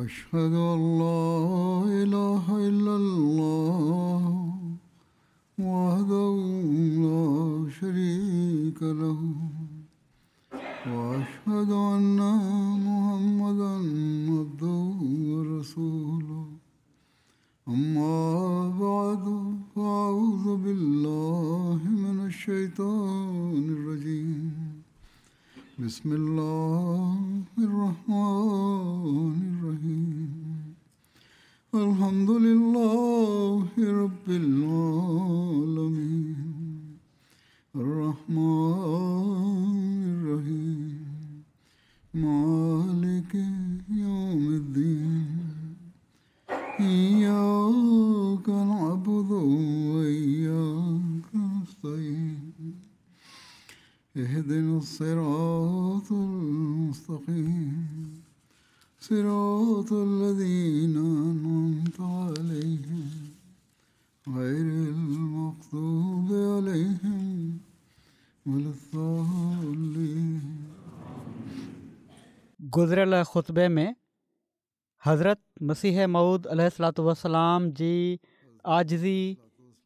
أشهد أن لا إله إلا الله وحده لا شريك له وأشهد أن محمدا عبده ورسوله. أما بعد، فأعوذ بالله من الشيطان الرجيم. بسم الله الرحمن الرحيم. الحمد لله رب العالمين. الرحمن الرحيم. مالك يوم الدين. إياك نعبد وإياك نستعين. اهدنا الصراط المستقيم. صراط الذين أنعمت عليهم غير المغضوب عليهم ولا الضالين. گذريل خطبي ۾ حضرت مسيح موعود عليه الصلوة والسلام جي عاجزي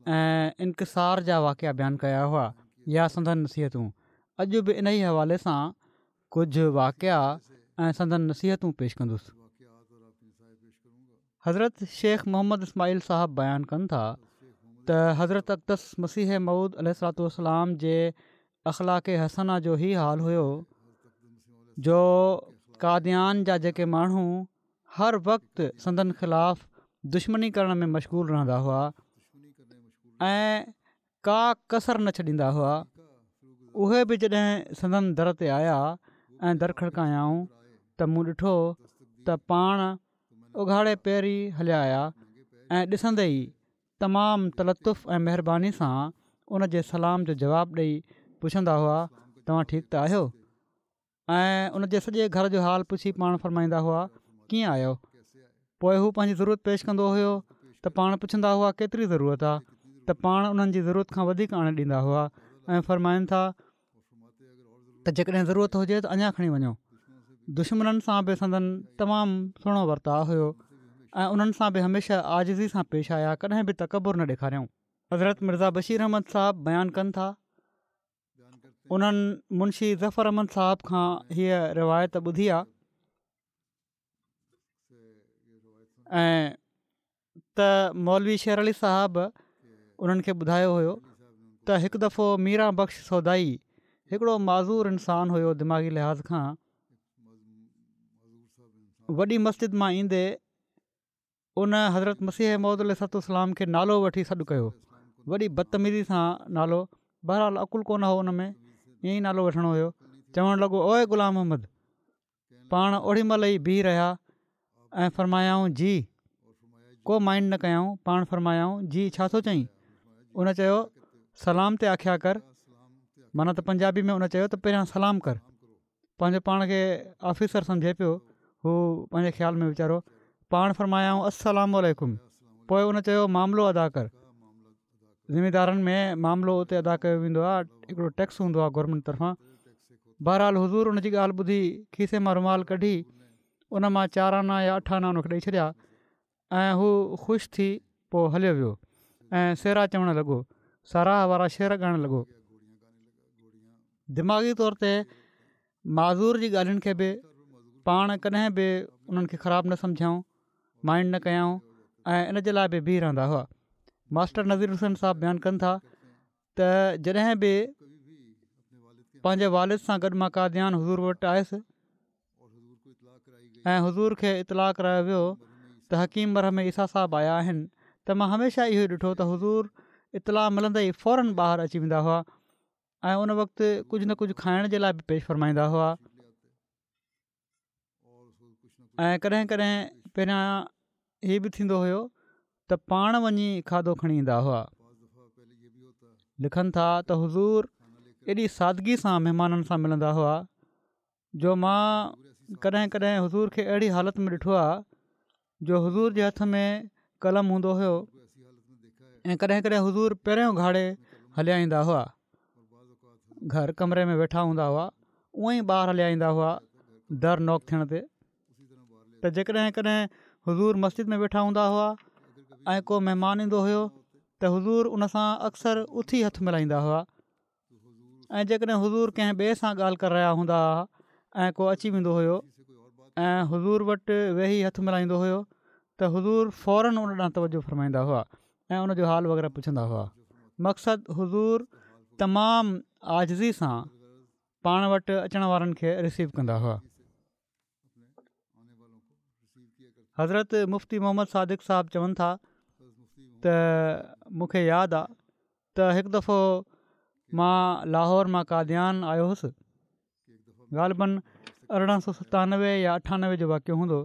۽ انڪسار جا واقعا بيان ڪيا هئا يا سندن نصيحتون. اڄ به انهي حوالي سان ڪجهه واقعا ۽ سندن نصيحتون پيش ڪندس. حضرت شيخ محمد اسماعيل صاحب بيان ڪن ٿا ته حضرت اقدس مسيح موعود عليه الصلوة والسلام جي اخلاق حسنه جو هي حال هيو جو قاديان جا جيڪي ماڻهو هر وقت سندن خلاف دشمني ڪرڻ ۾ مشغول رهندا هئا ۽ ڪا ڪسر نه ڇڏيندا هئا اهي به جڏهن سندن در تي آيا ۽ در کڙڪايائون ته مون ڏٺو ته پاڻ اگهاڙي پير ئي هليا آيا ۽ ڏسندي ئي تمام تلطف ۽ مهرباني سان ان جي سلام جو جواب ڏئي پڇندا هئا توهان ٺيڪ ته آهيو؟ ۽ ان جي سڄي گهر جو حال پڇي پاڻ فرمائيندا هئا ڪيئن آيو؟ پوء هو پنهنجي ضرورت پيش ڪندو هيو ته پاڻ پڇندا هئا ڪيتري ضرورت آ ته پاڻ انهن جي ضرورت کان وڌيڪ آڻي ڏيندا هئا ۽ فرمائن ٿا ته جيڪڏهن ضرورت هجي ته اڃا کڻي وڃو. دشمنن سان به سندن تمام سهڻو ورتاء هيو ۽ انهن سان به هميشه عاجزي سان پيش آيا ڪڏهن به تڪبر نه ڏيکاريائون. حضرت مرزا بشير احمد صاحب بيان ڪن ٿا انهن منشي ظفر احمد صاحب کان هيء روايت ٻڌي آ ۽ ته مولوي شير علي صاحب انهن کي ٻڌايو هيو ته هڪ دفعو ميران بخش سودائي هڪڙو معذور انسان هيو دماغي لحاظ کان وڏي مسجد مان ايندي ان حضرت مسيح موعود عليه الصلوة والسلام کي نالو وٺي سڏ ڪيو وڏي بدتميزي سان نالو بهرحال عقل ڪونه هو ان ۾ ائين ئي نالو وٺڻو هيو چوڻ لڳو اوئي غلام محمد پاڻ اوڏي مهل ئي بيهي رهيا ۽ فرمايائون جي ڪو مائنڊ نه ڪيائون پاڻ فرمايائون جي ڇا ٿو چئين ان چيو سلام تي آکيا ڪر معنيٰ ته پنجابي ۾ ان چيو ته پهريان سلام ڪر پنهنجو پاڻ کي آفيسر سمجهي پيو هو پنهنجي خيال ۾ ويچارو پاڻ فرمايائون السلام عليڪم پوء ان چيو معاملو ادا ڪر زميندارن ۾ معاملو اتي ادا ڪيو ويندو آهي هڪڙو ٽيڪس هوندو آهي گورنمينٽ طرفان بهرحال حضور ان جي ڳالهه ٻڌي کيسي مان رومال ڪڍي ان مان چار آنا يا اٺ آنا ان کي ڏئي ڇڏيا ۽ هو خوش ٿي پوء هليو ويو ۽ سهرا چوڻ لڳو، ساراهه وارا شعر ڳائڻ لڳو. دماغي طور تي معذور جي ڳالهين کي به پاڻ ڪڏهن به انهن کي خراب نه سمجهيائون، مائنڊ نه ڪيائون ۽ ان جي لاء به بيهي رهندا هئا. ماسٽر نذير حسين صاحب بيان ڪن ٿا ته جڏهن به پنهنجي والد سان گڏ مان قاديان حضور وٽ آيس ۽ حضور کي اطلاع ڪرايو ويو ته حڪيم مرهم عيسيٰ صاحب آيا آهن ته مان هميشه اهو ئي ڏٺو ته حضور اطلاع ملندي ئي فورن ٻاهر اچي ويندا هئا ۽ ان وقت ڪجهه نه ڪجهه کائڻ جي لاء به پيش فرمائيندا هئا ۽ ڪڏهن ڪڏهن پهريان هي به ٿيندو هيو ته پاڻ وڃي کاڌو کڻي ايندا هئا لکن ٿا ته حضور ايڏي سادگي سان مهمانن سان ملندا هئا جو مان ڪڏهن ڪڏهن حضور کي اهڙي حالت ۾ ڏٺو آهي جو حضور جي هٿ ۾ قلم هوندو هيو ۽ ڪڏهن ڪڏهن حضور پيرين اگهاڙي هليا ايندا هئا گهر ڪمري ۾ ويٺا هوندا هئا اونئن ئي ٻاهر هليا ايندا هئا در نوڪ ٿيڻ تي. ته جيڪڏهن ڪڏهن حضور مسجد ۾ ويٺا هوندا هئا ۽ ڪو مهمان ايندو هيو ته حضور ان سان اڪثر اٿي هٿ ملائيندا هئا ۽ جيڪڏهن حضور ڪنهن ٻئي سان ڳالهه ڪري رهيا هوندا هئا ۽ ڪو اچي ويندو هيو ۽ حضور وٽ ويهي هٿ ملائيندو هيو ته حضور فورن ان ڏانهن توجه فرمائيندا هئا ۽ ان جو حال وغيره پڇندا هئا مقصد حضور تمام عاجزي سان پاڻ وٽ اچڻ وارن کي رسيو ڪندا هئا. حضرت مفتي محمد صادق صاحب چون ٿا ته مون کي ياد آ ته هڪ دفعو مان لاهور مان قاديان آيو هوس غالباً 1897 يا 98 جو واقعو هوندو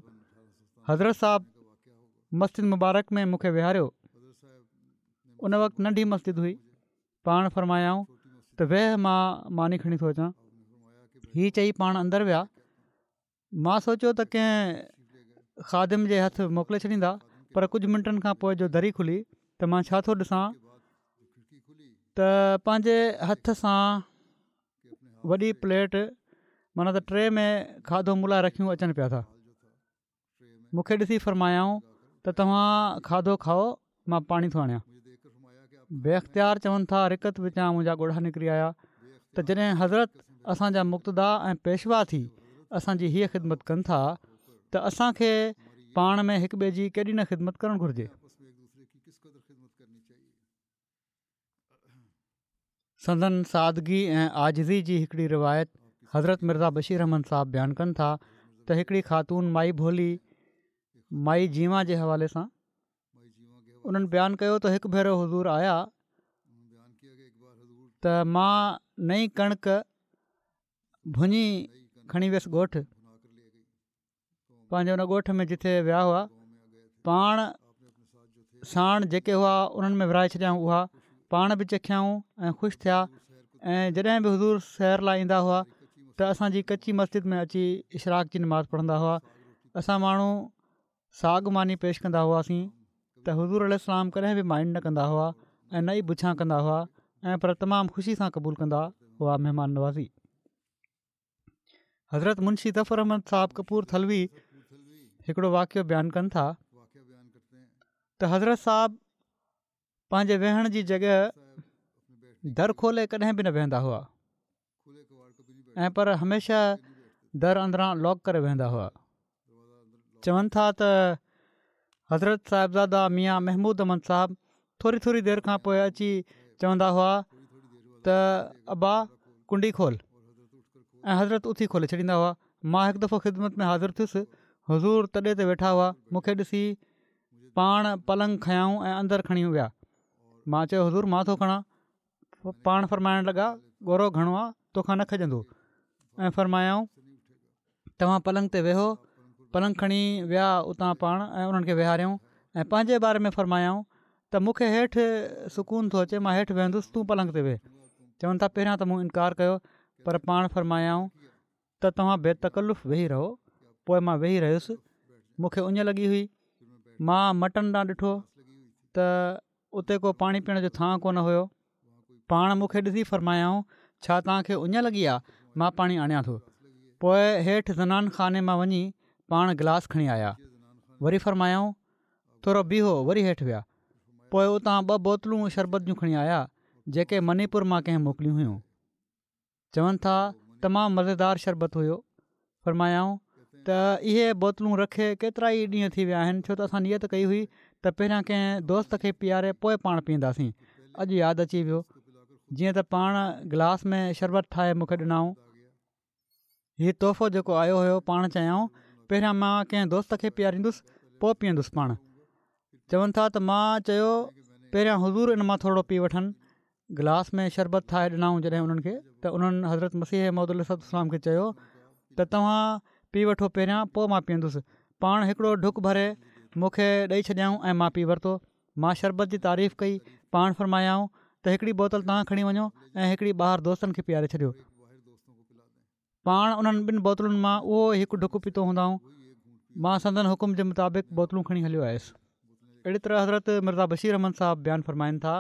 حضرت صاحب مسجد مبارڪ ۾ مون کي ويهاريو ان وقت ننڍي مسجد هئي پاڻ فرمايائون ته ويهه مان ماني کڻي ٿو اچان هي چئي پاڻ اندر ويا مان سوچيو ته ڪنهن خادم جي هٿ موڪلي ڇڏيندا پر ڪجهه منٽن کان پوء جو دري کلي ته مان ڇا ٿو ڏسان ته پنهنجي هٿ سان وڏي پليٽ معنيٰ ته ٽري ۾ کاڌو مون لاء رکيون اچن پيا ٿا مون کي ڏسي فرمايائون ته توهان کاڌو کائو مان پاڻي ٿو آڻيان. بي اختيار چون ٿا رقت وچان منهنجا ڳوڙها نڪري آيا ته جڏهن حضرت اسان جا مقتدا ۽ پيشوا ٿي اسان جي هيء خدمت ڪن ٿا ته اسان کي پاڻ ۾ هڪ ٻئي جي ڪيڏي نه خدمت ڪرڻ گهرجي. سندن سادگي ۽ عاجزي جي هڪڙي روايت حضرت مرزا بشير احمد صاحب بيان ڪن ٿا ته هڪڙي خاتون مائي ڀولي مائي جيوان جي حوالي سان انهن بيان ڪيو ته هڪ ڀيرو حضور آيا ته مان نئين ڪڻڪ ڀڃي کڻي ويس ڳوٺ پنهنجي ان ڳوٺ ۾ جتي ويا هئا پاڻ ساڻ جيڪي هئا انهن ۾ ورهائي ڇڏيائون اها پاڻ به چکيائون ۽ خوش ٿيا ۽ جڏهن به حضور سير لاء ايندا هئا ته اسانجي ڪچي مسجد ۾ اچي اشراق جي نماز پڙهندا هئا اسان ماڻهو ساڳ ماني پيش ڪندا هئاسين ته حضور عليه السلام ڪڏهن به مائنڊ نه ڪندا هئا ۽ نه ئي بڇان ڪندا هئا ۽ پر تمام خوشي سان قبول ڪندا هئا مهمان نوازي حضرت منشي ظفر احمد صاحب ڪپور ٿلوي هڪڙو واقعو بيان ڪن ٿا ته حضرت صاحب پنهنجي ويهڻ جي جڳهه در کولي ڪڏهن به نه ويهندا هئا ۽ پر هميشه در اندران لاڪ ڪري ويهندا هئا چون ٿا ته حضرت صاحبزاده ميان محمود احمد صاحب ٿوري ٿوري دير کان پوء اچي چوندا هئا ته ابا ڪنڊي کول ۽ حضرت اٿي کولي ڇڏيندا هئا مان هڪ دفعو خدمت ۾ حاضر ٿيس حضور تڏي تي ويٺا هئا مون کي ڏسي پاڻ پلنگ کنيائون ۽ اندر کڻي ويا مان چيو حضور مان ٿو کڻان پاڻ فرمائڻ لڳا ڳورو گهڻو آ توکان نه کڄندو ۽ فرمايائون توهان پلنگ تي ويهو پلنگ کڻي ويا اتان پاڻ ۽ انهن کي ويهاريائون ۽ پنهنجي باري ۾ فرمايائون ته مون کي هيٺ سڪون ٿو اچي مان هيٺ ويهندس تون پلنگ تي ويهه چون ٿا پهريان ته مون انڪار ڪيو پر پاڻ فرمايائون ته توهان بي تڪلف ويهي رهو پوء مان ويهي رهيس مون کي اڃ لڳي هئي مان مٽن ڏانهن ڏٺو ته اتي ڪو پاڻي پيئڻ جو ٿانء ڪونه هيو. پاڻ مون کي ڏسي فرمايائون، ڇا توهان کي اڃ لڳي آ؟ مان پاڻي آڻيان ٿو. پوء هيٺ زنان خاني مان وڃي پاڻ گلاس کڻي آيا. وري فرمايائون، ٿورو بيهو وري هيٺ ويا. پوء اتان ٻه بوتلون شربت جون کڻي آيا، جيڪي مني پور مان ڪنهن موڪليون هيون. چون ٿا تمام مزيدار شربت هيو. فرمايائون ته اهي بوتلون رکي ڪيترائي ڏينهن ٿي ويا آهن ڇو ته اسان نيت ڪئي هئي ته پهريان ڪنهن دوست کي پياري پوء پاڻ پيئنداسين اڄ ياد اچي ويو جيئن ته پاڻ گلاس ۾ شربت ٺاهي مون کي ڏنائون هي تحفو جيڪو آيو هيو پاڻ چيائون پهريان مان ڪنهن دوست کي پياريندس پوء پيئندس پاڻ چون ٿا ته مان چيو پهريان حضور ان مان ٿورڙو پي وٺن گلاس ۾ شربت ٺاهي ڏنائون جڏهن انهن کي ته انهن حضرت مسيح موعود عليه الصلوة والسلام کي چيو ته توهان پي وٺو پهريان پوء مان پيئندس پاڻ هڪڙو ڍڪ ڀري مون کي ڏئي ڇڏيائون ۽ مان پي ورتو مان شربت جي تعريف ڪئي پاڻ فرمايائون ته هڪڙي بوتل توهان کڻي وڃو ۽ هڪڙي ٻاهر دوستن کي پياري ڇڏيو پاڻ انهن ٻن بوتلن مان اهو ئي هڪ ڍڪ پيتو هوندائون. مان سندن حڪم جي مطابق بوتلون کڻي هليو آيس. اهڙي طرح حضرت مرزا بشير احمد صاحب بيان فرمائن ٿا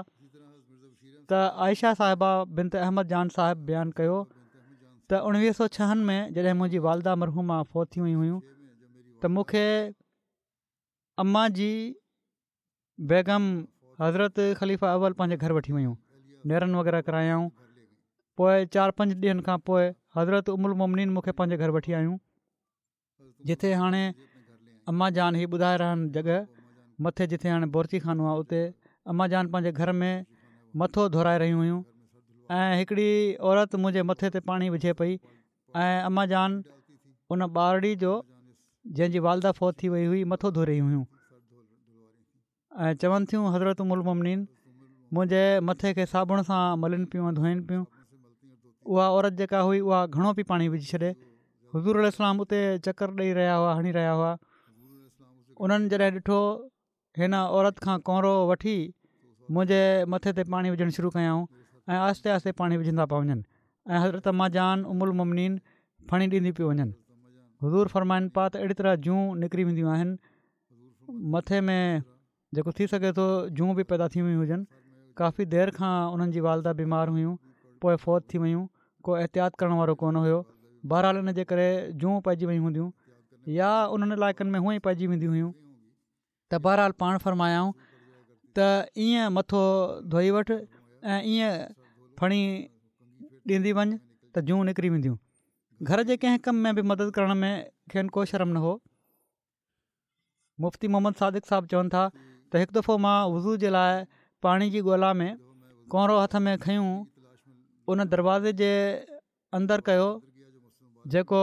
ته عائشه صاحبه بنت احمد جان صاحب بيان ڪيو ته اڻويهه سو ڇهن ۾ جڏهن منهنجي والده مرحومه فوت ٿي ويون هيون ته مون کي اما جي بيگم حضرت خليفه اول پنهنجي گهر وٺي ويون نيرن وغيره ڪرايائون پوء چار پنج ڏينهن کان پوء حضرت ام المومنين مون کي پنهنجي گهر وٺي آيون جتي هاڻي اما جان هي ٻڌائي رهيا آهن جڳهه مٿي جتي هاڻي بورچي خانو آهي اتي اما جان پنهنجي گهر ۾ مٿو ڌورائي رهيون هيون ۽ هڪڙي عورت منهنجي مٿي تي پاڻي وجهي پئي ۽ اما جان ان ٻارڙي جو جنهن جي والده فوت ٿي وئي هئي مٿو ڌوئي رهيون هيون ۽ چون ٿيون حضرت ام المومنين منهنجي مٿي کي صابڻ سان ملن پيون ۽ ڌوئن پيون اها عورت جيڪا هئي اها گهڻو پئي پاڻي وجهي ڇڏي حضور عليه السلام اتي چڪر ڏئي رهيا هئا هڻي رهيا هئا انهن جڏهن ڏٺو هن عورت کان ڪؤنرو وٺي منهنجي مٿي تي پاڻي وجهڻ شروع ڪيائون ۽ آهستي آهستي پاڻي وجهندا پيا وڃن ۽ حضرت اما جان ام المومنين ڦڻي ڏينديون پيون وڃن حضور فرمائن پيا ته اهڙي طرح جون نڪري وينديون آهن مٿي ۾ جيڪو ٿي سگهي ٿو جون به پيدا ٿي ويون هجن ڪافي دير کان انهن جي والده بيمار هيون پوء فوت ٿي ويون ڪو احتياط ڪرڻ وارو ڪونه هيو بهرحال ان جي ڪري جون پئجي ويون هونديون يا انهن علائقن ۾ هونئن ئي پئجي وينديون هيون ته بهرحال پاڻ فرمايائون ته ائين مٿو ڌوئي وٺ ۽ ائين ڦڻي ڏيندي وڃ ته جون نڪري وينديون. گهر جي ڪنهن ڪم ۾ به مدد ڪرڻ ۾ کين ڪو شرم نه هو. مفتي محمد صادق صاحب چون ٿا ته هڪ دفعو مان وضو جي لاء پاڻي جي ڳولا ۾ ڪؤنرو هٿ ۾ کنيون ان دروازي جي اندر ڪيو جيڪو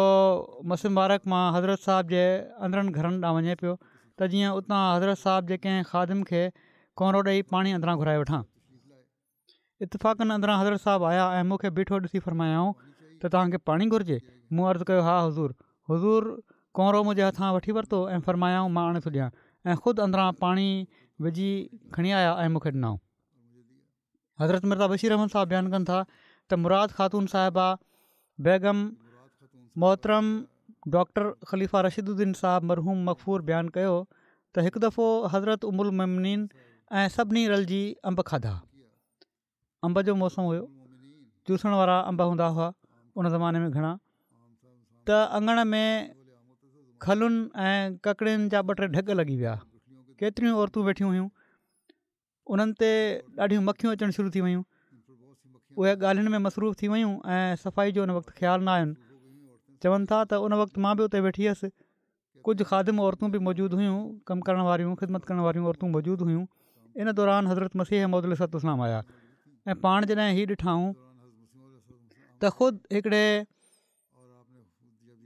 مسجد مبارڪ مان حضرت صاحب جي اندرن گهرن ڏانهن وڃي پيو ته جيئن اتان حضرت صاحب جي ڪنهن خادم کي ڪؤنرو ڏئي پاڻي اندران گهرائي وٺان. اتفاقن اندران حضرت صاحب آيا ۽ مون کي بيٺو ڏسي فرمايائون ته توهان کي پاڻي گهرجي؟ مون عرض ڪيو ها حضور. حضور ڪؤنرو منهنجي هٿان وٺي ورتو ۽ فرمايائون مان آڻي ٿو ڏيان ۽ خود اندران پاڻي وجهي کڻي آيا ۽ مون کي ڏنائون. حضرت مرزا بشير احمد صاحب بيان ڪن ٿا ته مراد خاتون صاحبه بيگم محترم ڊاڪٽر خليفه رشيد الدين صاحب مرحوم مغفور بيان ڪيو ته هڪ دفعو حضرت ام المومنين ۽ سڀني رلجي انب کاڌا انب جو موسم هيو چوسڻ وارا انب هوندا هئا ان زماني ۾ گهڻا ته اڱڻ ۾ کلن ۽ ڪڪڙين جا ٻه ٽي ڍڳ لڳي ويا ڪيتريون عورتون ويٺيون هيون انهن تي ڏاڍيون مکيون اچڻ شروع ٿي ويون اهي ڳالهين ۾ مصروف ٿي ويون ۽ صفائي جو ان وقت خيال نه آين چون ٿا ته ان وقت مان به اتي ويٺي هيس ڪجهه خادم عورتون به موجود هيون ڪم ڪرڻ واريون خدمت ڪرڻ واريون عورتون موجود هيون ان دوران حضرت مسيح موعود عليه الصلوة والسلام آيا ۽ پاڻ جڏهن هي ڏٺائون ته خود هڪڙي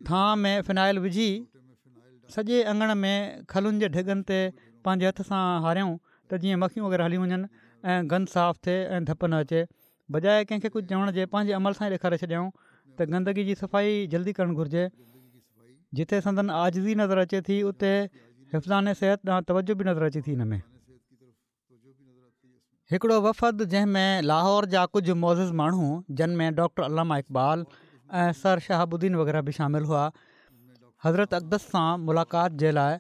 ٿانء ۾ فنائل وجهي سڄي اڱڻ ۾ کلن جي ڍڳن تي پنهنجي هٿ سان هاريائون ته جيئن مکيون وغيره هليون وڃن ۽ گند صاف ٿئي ۽ ڌپ نه اچي. بجاء ڪنهن کي ڪجهه چوڻ جي پنهنجي عمل سان ئي ڏيکاري ڇڏيائون ته گندگي جي صفائي جلدي ڪرڻ گهرجي. جتي سندن عاجزي نظر اچي ٿي اتي حفظان صحت ڏانهن توجه به نظر اچي ٿي ان ۾. هڪڙو وفد جنهن ۾ لاهور جا ڪجهه معزز ماڻهو جن ۾ ڊاڪٽر علامه اقبال ۽ سر شهاب الدين وغيره به شامل هئا حضرت اقدس سان ملاقات جي لاء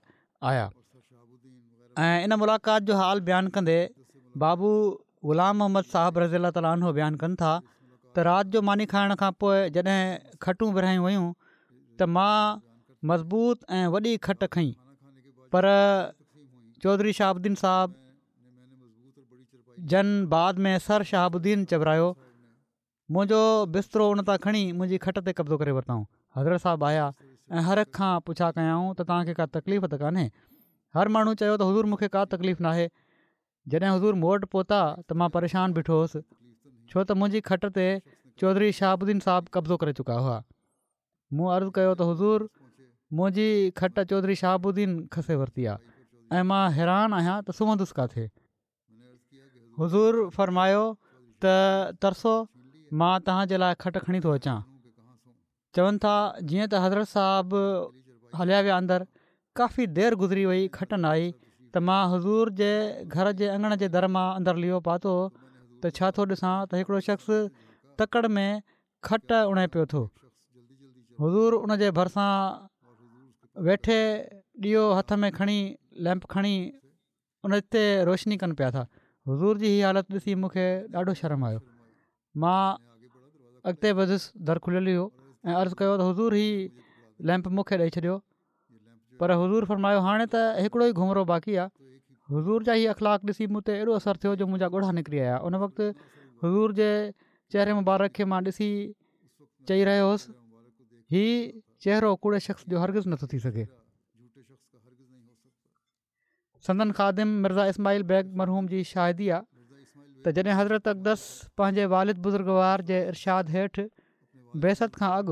آيا ۽ ان ملاقات جو حال بيان ڪندي بابو غلام محمد صاحب رضي الله تعالٰي عنه بيان ڪن ٿا ته رات جو ماني کائڻ کان پوء جڏهن کٽون ورهايون ويون ته مان مضبوط ۽ وڏي کٽ کنئي پر چوڌري شهاب الدين صاحب جن بعد ۾ سر شهاب الدين چورايو منهنجو بسترو ان تان کڻي منهنجي کٽ تي قبضو ڪري ورتائون حضرت صاحب آيا ۽ هر هڪ کان پڇا ڪيائون ته توهان کي ڪا تڪليف ته ڪانهي هر ماڻهو چيو ته حضور مون کي ڪا تڪليف ناهي جڏهن حضور مون وٽ پهتا ته مان پريشان بيٺو هوس ڇو ته منهنجي کٽ تي چوڌري شهاب الدين صاحب قبضو ڪري چڪا هئا مون عرض ڪيو ته حضور منهنجي کٽ چوڌري شهاب الدين کسي ورتي آهي ۽ مان حيران آهيان ته سمهندس ڪاٿي؟ حضور فرمايو ته ترسو مان توهان جي لاء کٽ کڻي ٿو اچان. چون ٿا جيئن ته حضرت صاحب هليا ويا اندر ڪافي دير گذري وئي کٽ نه آئي ته مان حضور جي گهر جي اڱڻ جي در مان اندر ليئو پاتو ته ڇا ٿو ڏسان ته هڪڙو شخص تڪڙ ۾ کٽ اڻي پيو ٿو حضور ان جي ڀرسان ويٺي ڏيئو هٿ ۾ کڻي ليمپ کڻي ان تي روشني ڪن پيا ٿا حضور جي هي حالت ڏسي مون کي ڏاڍو شرم آيو مان اڳتي وڌيس در کليل هيو ۽ عرض ڪيو ته حضور هي ليمپ مون کي ڏئي ڇڏيو. پر حضور فرمايو هاڻي ته هڪڙو ئي گهمرو باقي آ. حضور جا هي اخلاق ڏسي مون تي ايڏو اثر ٿيو جو منهنجا ڳوڙها نڪري آيا. ان وقت حضور جي چهري مبارڪ کي مان ڏسي چئي رهيو هوس هي چهرو ڪوڙي شخص جو هرگز نٿو ٿي سگهي. سندن خادم مرزا اسماعيل بيگ مرحوم جي شاهدي آ ته جڏهن حضرت اقدس پنهنجي والد بزرگوار جي ارشاد هيٺ بعثت کان اڳ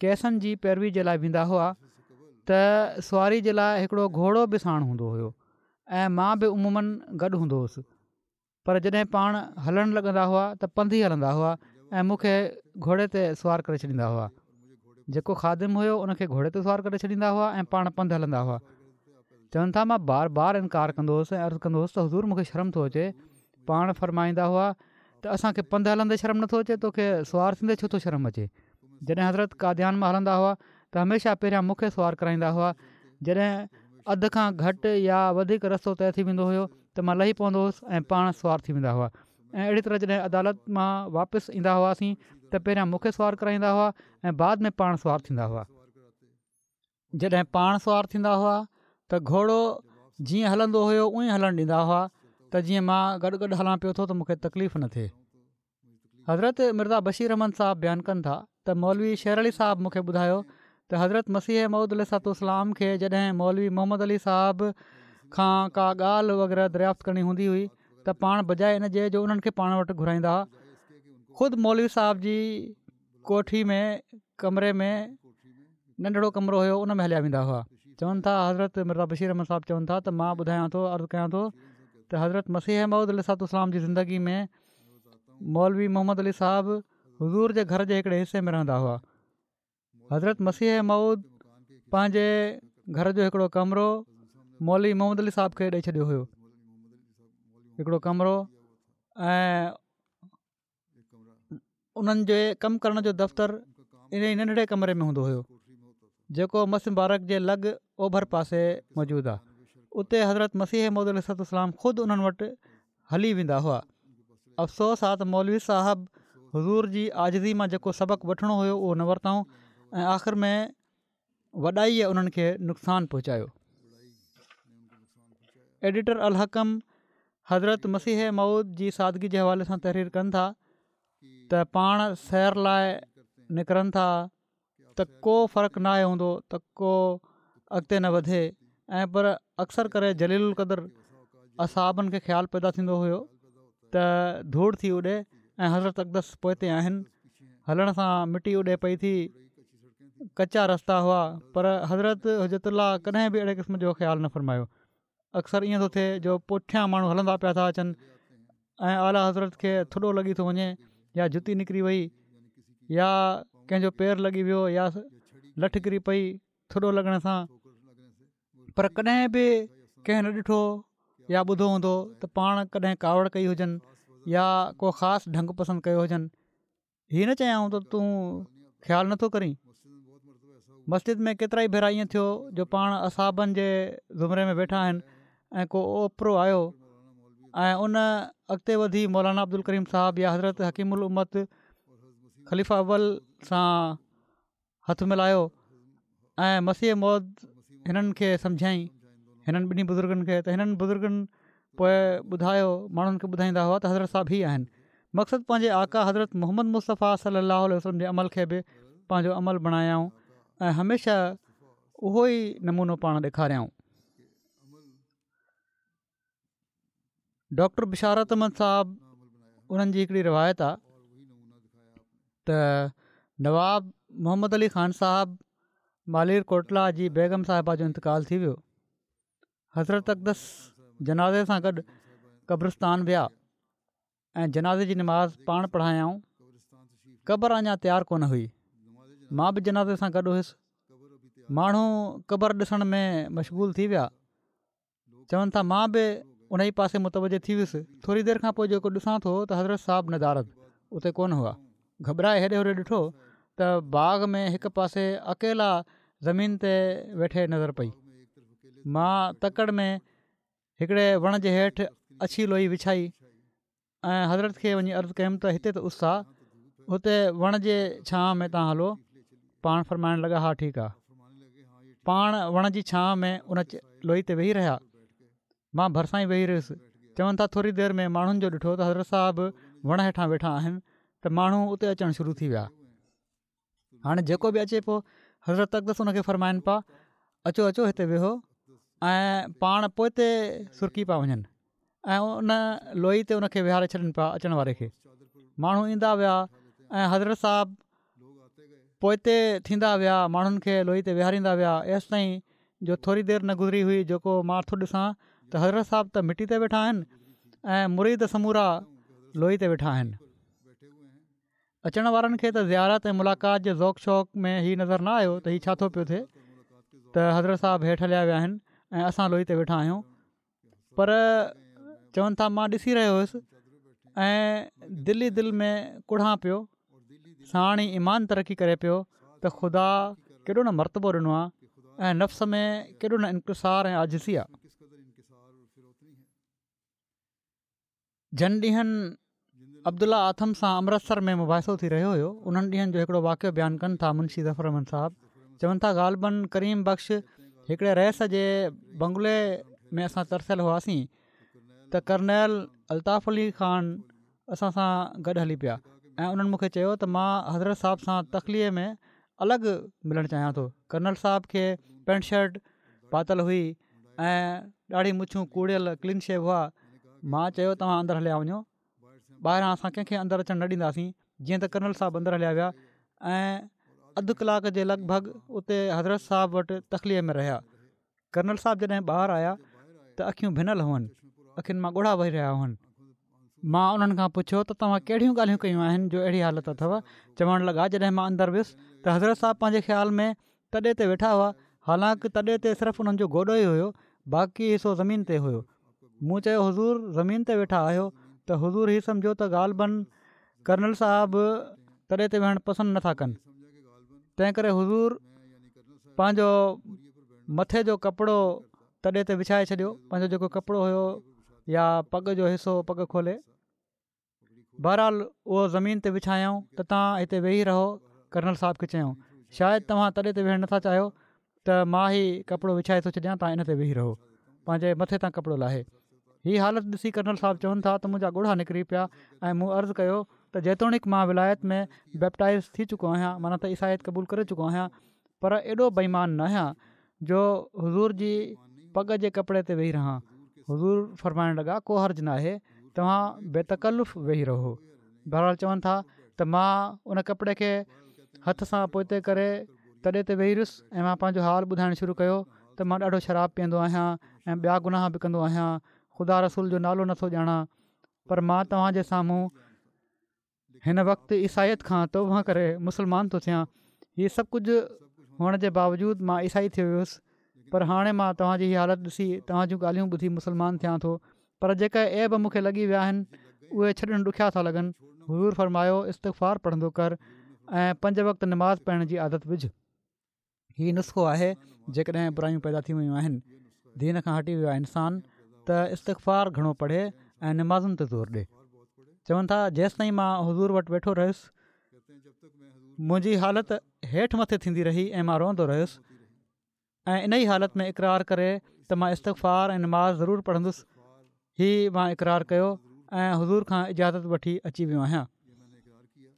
قيسن جي پيروي جي لاء ويندا هئا ته سواري جي لاء هڪڙو گهوڙو به ساڻ هوندو هيو ۽ مان به عموماً گڏ هوندو هوس پر جڏهن پاڻ هلڻ لڳندا هئا ته پنڌ ئي هلندا هئا ۽ مون کي گهوڙي تي سوار ڪري ڇڏيندا هئا. جيڪو خادم هيو ان کي گهوڙي تي سوار ڪري ڇڏيندا هئا ۽ پاڻ پنڌ هلندا هئا. چون ٿا مان بار بار انڪار ڪندو هوس ۽ عرض ڪندو هوس ته حضور مون کي شرم ٿو اچي. پاڻ فرمائيندا هئا ته اسان کي پنڌ هلندي شرم نٿو اچي توکي سوار ٿيندي ڇو ٿو شرم اچي. جڏهن حضرت قاديان مان هلندا هئا ته هميشه پهريان مون کي سوار ڪرائيندا هئا. جڏهن اڌ کان گهٽ يا وڌيڪ رستو طئي ٿي ويندو هيو ته مان لهي پوندو هوس ۽ پاڻ سوار ٿي ويندا هئا ۽ اهڙي طرح جڏهن عدالت مان واپس ايندا هئاسين ته پهريان مون کي سوار ڪرائيندا هئا ۽ بعد ۾ پاڻ سوار ٿيندا هئا. جڏهن پاڻ سوار ٿيندا هئا ته گهوڙو جيئن هلندو هيو اونئين هلڻ ڏيندا هئا ته جيئن مان گڏ گڏ هلان پيو ٿو ته مون کي تڪليف نه ٿئي. حضرت مرزا بشير احمد صاحب بيان ڪن ٿا ته مولوي شير علي صاحب مون کي ٻڌايو ته حضرت مسيح موعود عليه الصلوة والسلام کي جڏهن مولوي محمد علي صاحب کان ڪا ڳالهه وغيره دريافت ڪرڻي هوندي هئي ته پاڻ بجاء ان جي جو انهن کي پاڻ وٽ گهرائيندا خود مولوي صاحب جي ڪوٺي ۾ ڪمري ۾ ننڍڙو ڪمرو هيو ان ۾ هليا ويندا هئا چون ٿا حضرت مرزا بشير احمد صاحب چون ٿا ته مان ٻڌايان ٿو عرض ڪيان ٿو ته حضرت مسيح موعود عليه الصلوة والسلام جي زندگي ۾ مولوي محمد علي صاحب حضور جي گهر جي هڪڙي حصي ۾ رهندا هئا حضرت مسيح موعود پنهنجي گهر جو هڪڙو ڪمرو مولوي محمد علي صاحب کي ڏئي ڇڏيو هيو هڪڙو ڪمرو ۽ انهن جي ڪم ڪرڻ جو دفتر ان ئي ننڍڙي ڪمري ۾ هوندو هيو جيڪو مسجد مبارڪ جي لڳ اوڀر پاسي موجود آهي اتي حضرت مسيح موعود عليه الصلوة والسلام خود انهن وٽ هلي ويندا هئا افسوس آ ته مولوي صاحب حضور جي عاجزي مان جيڪو سبق وٺڻو هيو اهو نه ورتائون ۽ آخر ۾ وڏائيء انهن کي نقصان پهچايو. ايڊيٽر الحڪم حضرت مسيح موعود جي سادگي جي حوالي سان تحرير ڪن ٿا ته پاڻ سير لاء نڪرن ٿا ته ڪو فرق ناهي هوندو ته ڪو اڳتي نه وڌي ۽ پر اڪثر ڪري جليل القدر اصحابن کي خيال پيدا ٿيندو هيو ته ڌوڙ ٿي اڏي ۽ حضرت اقدس پوئتي آهن هلڻ سان مٽي اڏي پئي ٿي ڪچا رستا هئا پر حضرت حجت الله ڪڏهن به اهڙي قسم جو خيال نه فرمايو اڪثر ائين ٿو ٿئي جو پٺيان ماڻهو هلندا پيا ٿا اچن ۽ اعليٰ حضرت کي ٿڏو لڳي ٿو وڃي يا جتي نڪري وئي يا ڪنهن جو پير لڳي ويو يا لٺ ڪري پئي ٿڏو لڳڻ سان پر ڪڏهن به ڪنهن نه ڏٺو يا ٻڌو هوندو ته پاڻ ڪڏهن ڪاوڙ ڪئي هجن يا ڪو خاص ڍنگ پسند ڪيو هجن هي نه چيائون ته تون خيال نٿو ڪرين مسجد ۾ ڪيترائي ڀيرا ائين ٿيو جو پاڻ اصحابن جي زمري ۾ ويٺا آهن ۽ ڪو اوپرو آيو ۽ ان اڳتي وڌي مولانا عبدالڪريم صاحب يا حضرت حڪيم الامت خليفه اول سان هٿ ملايو ۽ مسيح موعود هنن کي سمجهايائين هنن ٻنهي بزرگن کي ته هنن بزرگن پوء ٻڌايو ماڻهن کي ٻڌائيندا هئا ته حضرت صاحب هي آهن مقصد پنهنجي آقا حضرت محمد مصطفيٰ صلي الله عليه وسلم جي عمل کي به پنهنجو عمل بڻايائون ۽ هميشه اهو ئي نمونو پاڻ ڏيکاريائون ڊاڪٽر بشارت احمد صاحب انهن جي هڪڙي روايت آ ته نواب محمد علي خان صاحب مالير ڪوٽلا جي بيگم صاحبه جو انتقال ٿي ويو حضرت اقدس جنازي سان گڏ قبرستان ويا ۽ جنازي جي نماز پاڻ پڙهايائون قبر اڃا تيار ڪونه هئي مان به جنازي سان گڏ هيس ماڻهو قبر ڏسڻ ۾ مشغول ٿي ويا چون ٿا مان به ان ئي پاسي متوجه ٿي ويس ٿوري دير کان پوء جيڪو ڏسان ٿو ته حضرت صاحب ندارد اتي ڪونه هئا گهٻرائي هيڏي هوڏي ڏٺو ته باغ ۾ هڪ پاسي اڪيلا زمين تي ويٺي نظر پئي مان تڪڙ ۾ هڪڙي وڻ جي هيٺ اڇي لوئي وڇائي ۽ حضرت کي وڃي عرض ڪيم ته هتي ته اس آ هتي وڻ جي ڇانو ۾ توهان هلو پاڻ فرمائڻ لڳا ها ٺيڪ آ. پاڻ وڻ جي ڇانء ۾ ان لوئي تي ويهي رهيا. مان ڀرسان ئي ويهي رهيس. چون ٿا ٿوري دير ۾ ماڻهن جو ڏٺو ته حضرت صاحب وڻ هيٺان ويٺا آهن ته ماڻهو اتي اچڻ شروع ٿي ويا. هاڻي جيڪو به اچي پيو حضرت اقدس ان کي فرمائن پيا اچو اچو هتي ويهو ۽ پاڻ پوئتي سرڪي پيا وڃن ۽ ان لوئي تي ان کي ويهاري ڇڏن پيا اچڻ واري کي ماڻهو ايندا ويا ۽ حضرت صاحب پوئتي ٿيندا ويا ماڻهن کي لوئي تي ويهاريندا ويا ايستائين جو ٿوري دير نه گذري هئي جيڪو مان ٿو ڏسان ته حضرت صاحب ته مٽي تي ويٺا آهن ۽ مريد سمورا لوئي تي ويٺا آهن اچڻ وارن کي ته زيارت ۽ ملاقات جي ذوق شوق ۾ هي نظر نه آيو ته هي ڇا ٿو پيو ٿئي ته حضرت صاحب هيٺ هليا ويا آهن ۽ اسان لوئي تي ويٺا آهيون پر چون ٿا مان ڏسي رهيو هيس ۽ دل ئي دل ۾ ڪڙهان پيو ساڻ ئي ايمان ترقي ڪري پيو ته خدا ڪيڏو نه مرتبو ڏنو آهي ۽ نفس ۾ ڪيڏو نه انڪسار ۽ عاجزي آهي. جن ڏينهن عبدالله آٿم سان امرتسر ۾ مباحثو ٿي رهيو هيو انهن ڏينهن جو هڪڙو واقعو بيان ڪن ٿا منشي ظفر احمد صاحب چون ٿا غالباً ڪريم بخش هڪڙي رئيس جي بنگلي ۾ اسان ترسيل هئاسين ته ڪرنيل الطاف علي خان اسان سان گڏ هلي پيا ۽ انهن مون کي چيو ته مان حضرت صاحب سان تخليي ۾ الڳ ملڻ چاهيان ٿو ڪرنل صاحب کي پينٽ شرٽ پاتل هئي ۽ ڏاڙهي مڇون ڪوڙيل ڪلين شيو هئا مان چيو توهان اندر هليا وڃو ٻاهران اسان ڪنهن کي اندر اچڻ نه ڏينداسين جيئن ته ڪرنل صاحب اندر هليا ويا ۽ اڌ ڪلاڪ جي لڳ ڀڳ اتي حضرت صاحب وٽ تخليي ۾ رهيا ڪرنل صاحب جڏهن ٻاهر آيا ته اکيون ڀنل هئن اکين مان ڳوڙها وهي رهيا هئن مان انهن کان پڇيو ته توهان ڪهڙيون ڳالهيون ڪيون آهن جو اهڙي حالت اٿو چوڻ لڳا جڏهن مان اندر ويس ته حضرت صاحب پنهنجي خيال ۾ تڏي تي ويٺا هئا، حالانڪ تڏي تي صرف انهن جو گوڏو ئي هيو، باقي حصو زمين تي هيو. مون چيو حضور زمين تي ويٺا آهيو ته حضور هي سمجهيو ته غالباً ڪرنل صاحب تڏي تي ويهڻ پسند نه ٿا ڪن، تنهن ڪري حضور پنهنجو مٿي جو ڪپڙو تڏي تي وڇائي ڇڏيو، پنهنجو جيڪو ڪپڙو هيو يا پڳ جو حصو پڳ کولي. بهرحال اهو زمين تي وڇايائون ته توهان هتي ويهي رهو ڪرنل صاحب کي چيائون شايد توهان تڏي تي ويهڻ نٿا چاهيو ته مان هي ڪپڙو وڇائي ٿو ڇڏيان توهان ان تي ويهي رهو پنهنجي مٿي تان ڪپڙو لاهي هي حالت ڏسي ڪرنل صاحب چون ٿا ته منهنجا ڳوڙها نڪري پيا ۽ مون عرض ڪيو ته جيتوڻيڪ مان ولايت ۾ بيپٽائز ٿي چڪو آهيان معنيٰ ته عيسائيت قبول ڪري چڪو آهيان پر ايڏو بي ايمان ناهيان جو حضور جي پڳ جي ڪپڙي تي ويهي رهان. حضور فرمائڻ لڳا، ڪو حرج ناهي، توهان بي تڪلف ويهي رهو. بهرحال چون ٿا ته مان ان ڪپڙي کي هٿ سان پوئتي ڪري تڏي تي ويهي رهيس ۽ مان پنهنجو حال ٻڌائڻ شروع ڪيو ته مان ڏاڍو شراب پيئندو آهيان ۽ ٻيا گناهه به ڪندو آهيان، خدا رسول جو نالو نٿو ڄاڻان پر مان توهان جي سامهون هن وقت عيسائيت کان توبه ڪري مسلمان ٿو ٿيان. هي سڀ ڪجهه هئڻ جي باوجود مان عيسائي ٿي ويس پر هاڻي مان توهان جي هي حالت ڏسي توهان جون ڳالهيون ٻڌي مسلمان ٿيان ٿو پر جيڪي عيب مون کي لڳي ويا آهن اهي ڇڏڻ ڏکيا ٿا لڳن. حضور فرمايو استغفار پڙهندو ڪر ۽ پنج وقت نماز پڙهڻ جي عادت وجهه. هي نسخو آهي جيڪڏهن برايون پيدا ٿي ويون آهن دين کان هٽي ويو آهي انسان ته استغفار گهڻو پڙهي ۽ نمازن تي زور ڏي چون ٿا جيستائين مان حضور وٽ ويٺو رهيس منهنجي حالت هيٺ مٿي ٿيندي رهي ۽ مان روئندو رهيس ۽ ان ئي حالت ۾ اقرار ڪري ته مان استغفار ۽ نماز ضرور پڙهندس هي مان اقرار ڪيو ۽ حضور کان اجازت وٺي اچي ويو آهيان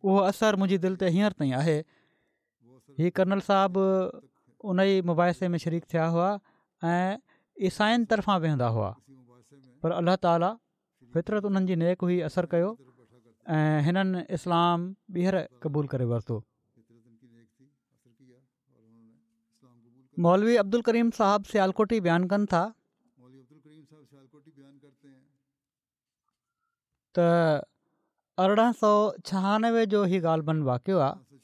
اهو اثر منهنجي دل تي هينئر تائين آهي هي ڪرنل صاحب ان ئي مباحثي ۾ شريڪ ٿيا هئا ۽ عيسائين طرفان ويهندا هئا پر الله تعالي فطرت انهن جي نيڪ هئي اثر ڪيو ۽ هنن اسلام ٻيهر قبول ڪري ورتو. مولوي عبدالڪريم صاحب سيالڪوٽي بيان ڪن ٿا ته 1896 جو هي غالباً واقعو آهي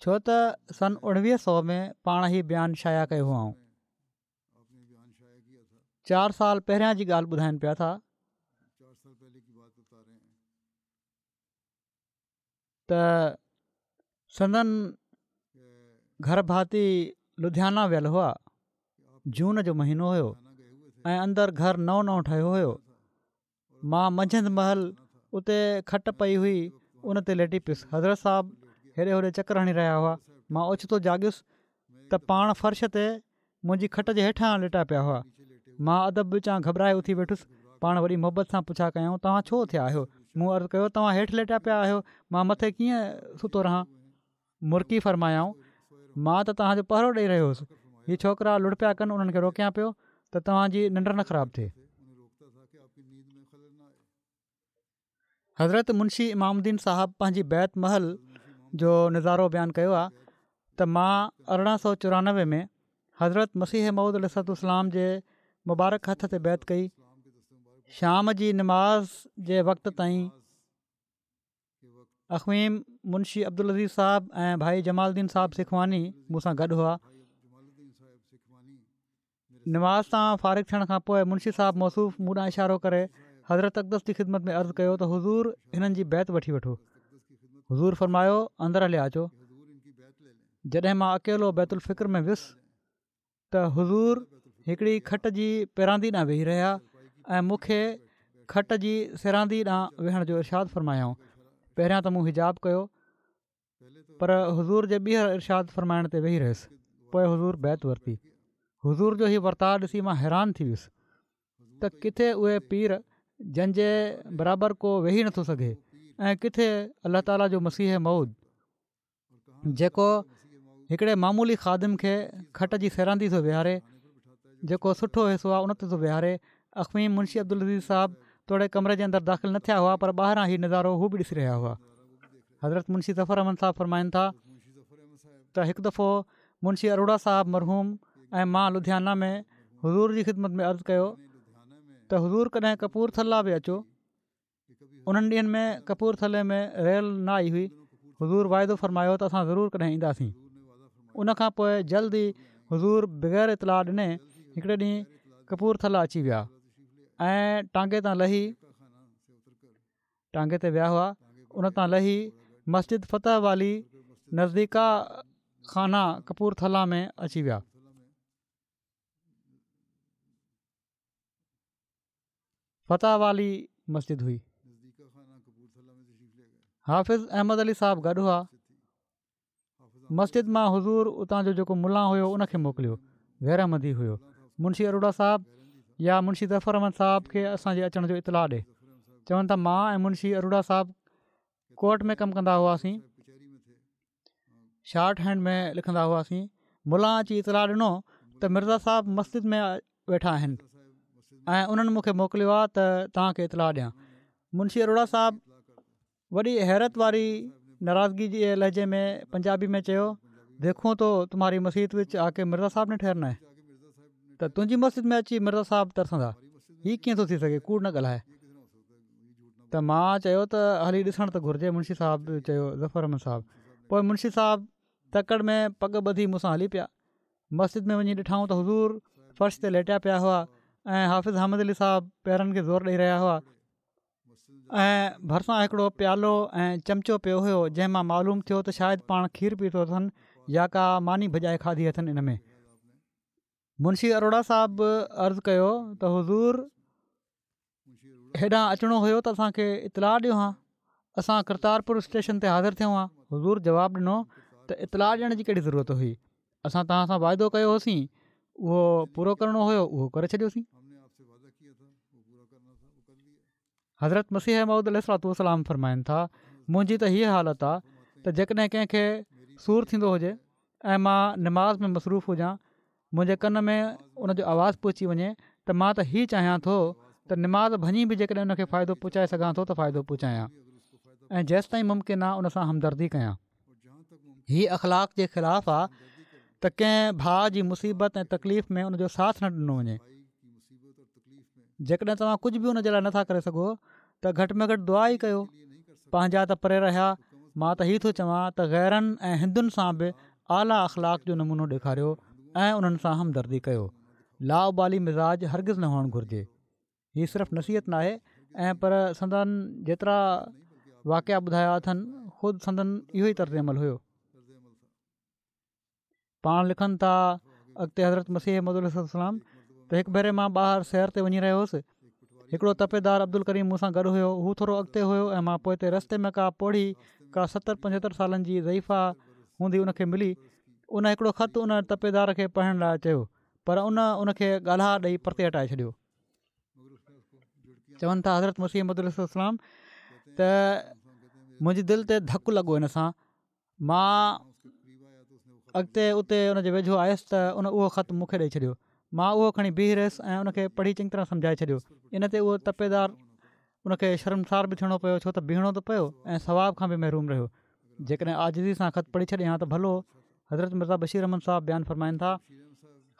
ڇو ته سن 1900 ۾ پاڻ هي بيان شايع ڪيو هئائون چار سال پهريان جي ڳالهه ٻڌائن پيا ٿا ته سندن گهر ڀاتي لڌيانا ويل هئا جون جو مهينو هيو ۽ اندر گهر نئون نئون ٺهيو هيو مان منجهند مهل اتي کٽ پئي هئي ان تي ليٽي پيس حضرت صاحب هيڏي هوڏي چڪر هڻي رهيا هئا مان اوچتو جاڳيس ته پاڻ فرش تي منهنجي کٽ جي هيٺان ليٽيا پيا هئا. مان ادب وچان گهٻرائي اٿي ويٺس. پاڻ وڏي محبت سان پڇا ڪيائون، توهان ڇو اٿيا آهيو؟ مون عرض ڪيو، توهان هيٺ ليٽيا پيا آهيو، مان مٿي ڪيئن ستو رهان؟ مرڪي فرمايائون، مان ته توهان جو پهرو ڏئي رهيو هوس. هي ڇوڪرا لڙ پيا ڪن انهن کي روڪيان پيو ته توهان جي ننڊ نه خراب ٿئي. حضرت منشي امام الدين صاحب پنهنجي بيعت مهل جو نظارو بيان ڪيو آهي ته مان 1894 ۾ حضرت مسيح موعود عليه الصلوة والسلام جي مبارڪ هٿ تي بيعت ڪئي شام جي نماز جي وقت تائين اخويم منشي عبدالعزيز صاحب ۽ ڀائي جمال الدين صاحب سکواني مون سان گڏ هئا نماز تان فارغ ٿيڻ کان پوء منشي صاحب موصوف مون ڏانهن اشارو ڪري حضرت اقدس جي خدمت ۾ عرض ڪيو ته حضور هنن جي بيعت وٺي وٺو. حضور فرمايو اندر هليا اچو. جڏهن مان اڪيلو بيت الفڪر ۾ ويس ته حضور هڪڙي کٽ جي پيراندي ڏانهن ويهي رهيا ۽ مون کي کٽ جي سيراندي ڏانهن ويهڻ جو ارشاد فرمايائون. پهريان ته مون حجاب ڪيو پر حضور جي ٻيهر ارشاد فرمائڻ تي ويهي رهيس پوء حضور بيعت ورتي حضور جو هي ورتاء ڏسي مان حيران ٿي ويس ته ڪٿي اهي پير جن جي برابر ڪو ويهي نٿو سگهي ۽ ڪٿي الله تعاليٰ جو مسيح موعود جيڪو هڪڙي معمولي خادم کي کٽ جي سيراندي ٿو ويهاري جيڪو سٺو حصو آهي ان تي ٿو ويهاري اخويم منشي عبدالعزيز صاحب توڙي ڪمري جي اندر داخل نه ٿيا هئا پر ٻاهران هي نظارو هو به ڏسي رهيا هئا حضرت منشي ظفر احمد صاحب فرمائن ٿا ته هڪ دفعو منشي اروڙا صاحب مرحوم ۽ مان لڌيانا ۾ حضور جي خدمت ۾ عرض ڪيو ته حضور ڪڏهن ڪپور ٿلا به اچو انهن ڏينهن ۾ ڪپور ٿلي ۾ ريل نه آئي هئي حضور واعدو فرمايو ته اسان ضرور ڪڏهن اينداسين ان کان پوء جلد ئي حضور بغير اطلاع ڏني هڪڙي ڏينهن ڪپور ٿلا اچي ويا ۽ ٽانگي تان لهي ٽانگي تي ويا هئا ان تان لهي مسجد فتح والي نزديڪا خانه ڪپور ٿلا ۾ اچي ويا. فتح والي مسجد هئي. حافظ احمد علي صاحب گڏ هئا. مسجد مان حضور اتان جو جيڪو ملان هيو ان کي موڪليو غير احمدي هيو منشي اروڙا صاحب يا منشي ظفر احمد صاحب کي اسان جي اچڻ جو اطلاع ڏي چون ٿا مان ۽ منشي اروڙا صاحب ڪورٽ ۾ ڪم ڪندا هئاسين شارٽ هينڊ ۾ لکندا هئاسين ملان اچي اطلاع ڏنو ته مرزا صاحب مسجد ۾ ويٺا آهن ۽ انهن مون کي موڪليو آهي ته توهان کي اطلاع ڏيان منشي اروڙا صاحب وڏي حيرت واري ناراضگي جي لهجي ۾ پنجابي ۾ چيو، ديکون تو تمهاري مسيت وچ آ ڪي مرزا صاحب ني ٺهرنا هي. ته تنهنجي مسجد ۾ اچي مرزا صاحب ترسندا. هي ڪيئن ٿو ٿي سگهي ڪوڙ نه ڳالهاء. ته مان چيو ته هلي ڏسڻ ته گهرجي منشي صاحب چيو ظفر احمد صاحب. پوء منشي صاحب تڪڙ ۾ پڳ ٻڌي مون سان هلي پيا. مسجد ۾ وڃي ڏٺائون ته حضور فرش تي ليٽيا پيا هئا ۽ حافظ حامد علي صاحب پيرن کي زور ڏئي رهيا هئا. ۽ ڀرسان هڪڙو پيالو ۽ چمچو پيو هيو جنهن مان معلوم ٿيو ته شايد پاڻ کير پيتو اٿن يا ڪا ماني ڀڄائي کاڌي اٿن ان ۾ منشي اروڙا صاحب عرض ڪيو ته حضور هيڏانهن اچڻو هيو ته اسان کي اطلاع ڏيو ها اسان ڪرتارپور اسٽيشن تي حاضر ٿيون ها حضور جواب ڏنو ته اطلاع ڏيڻ جي ڪهڙي ضرورت هئي اسان توهان سان واعدو ڪيو هوسين اهو پورو ڪرڻو هيو اهو ڪري ڇڏيوسين. حضرت مسيح موعود عليه الصلوة والسلام فرمائن ٿا منهنجي ته هيء حالت آ ته جيڪڏهن ڪنهن کي سور ٿيندو هجي ۽ مان نماز ۾ مصروف هجان منهنجي ڪن ۾ ان جو آواز پهچي وڃي ته مان ته هي چاهيان ٿو ته نماز ڀڃي به جيڪڏهن ان کي فائدو پهچائي سگهان ٿو ته فائدو پهچايان ۽ جيستائين ممڪن آ ان سان همدردي ڪيان. هي اخلاق جي خلاف آ ته ڪنهن ڀاء جي مصيبت ۽ تڪليف ۾ ان جو ساٿ نه ڏنو وڃي. جيڪڏهن توهان ڪجهه به ان جي لاء نٿا ڪري سگهو ته گهٽ ۾ گهٽ دعا ئي ڪيو. پنهنجا ته پري رهيا، مان ته هي ٿو چوان ته غيرن ۽ هندن سان به اعليٰ اخلاق جو نمونو ڏيکاريو ۽ انهن سان همدردي ڪيو. لاابالي مزاج هرگز نه هئڻ گهرجي. هي صرف نصيحت ناهي ۽ پر سندن جيترا واقعا ٻڌايا اٿن خود سندن اهو ئي طرز عمل هيو. پاڻ لکن ٿا اڳتي حضرت مسيح موعود عليه الصلوة والسلام ته هڪ ڀيري مان ٻاهر سير تي وڃي رهيو هوس هڪڙو تپيدار عبدالڪريم مون سان گڏ هيو هو ٿورو اڳتي هيو ۽ مان پوئتي رستي ۾ ڪا پوڙهي ڪا ستر پنجهتر سالن جي ضعيفه هوندي ان کي ملي. ان هڪڙو خط ان تپيدار کي پڙهڻ لاء چيو پر ان ان کي ڳالها ڏئي پرتي هٽائي ڇڏيو. چون ٿا حضرت مسيح موعود عليه الصلوة والسلام ته منهنجي دل تي ڌڪ لڳو ان سان مان اڳتي اتي ان جي ويجهو آيس ته ان اهو خط مون کي ڏئي ڇڏيو. مان اهو کڻي بيهي رهيس ۽ ان کي پڙهي چڱي طرح سمجهائي ڇڏيو. ان تي اهو تپيدار ان کي شرمسار به ٿيڻو پيو ڇو ته بيهڻو ته پيو ۽ ثواب کان به محروم رهيو. جيڪڏهن عاجزي سان خط پڙهي ڇڏي ها ته ڀلو. حضرت مرزا بشير احمد صاحب بيان فرمائن ٿا،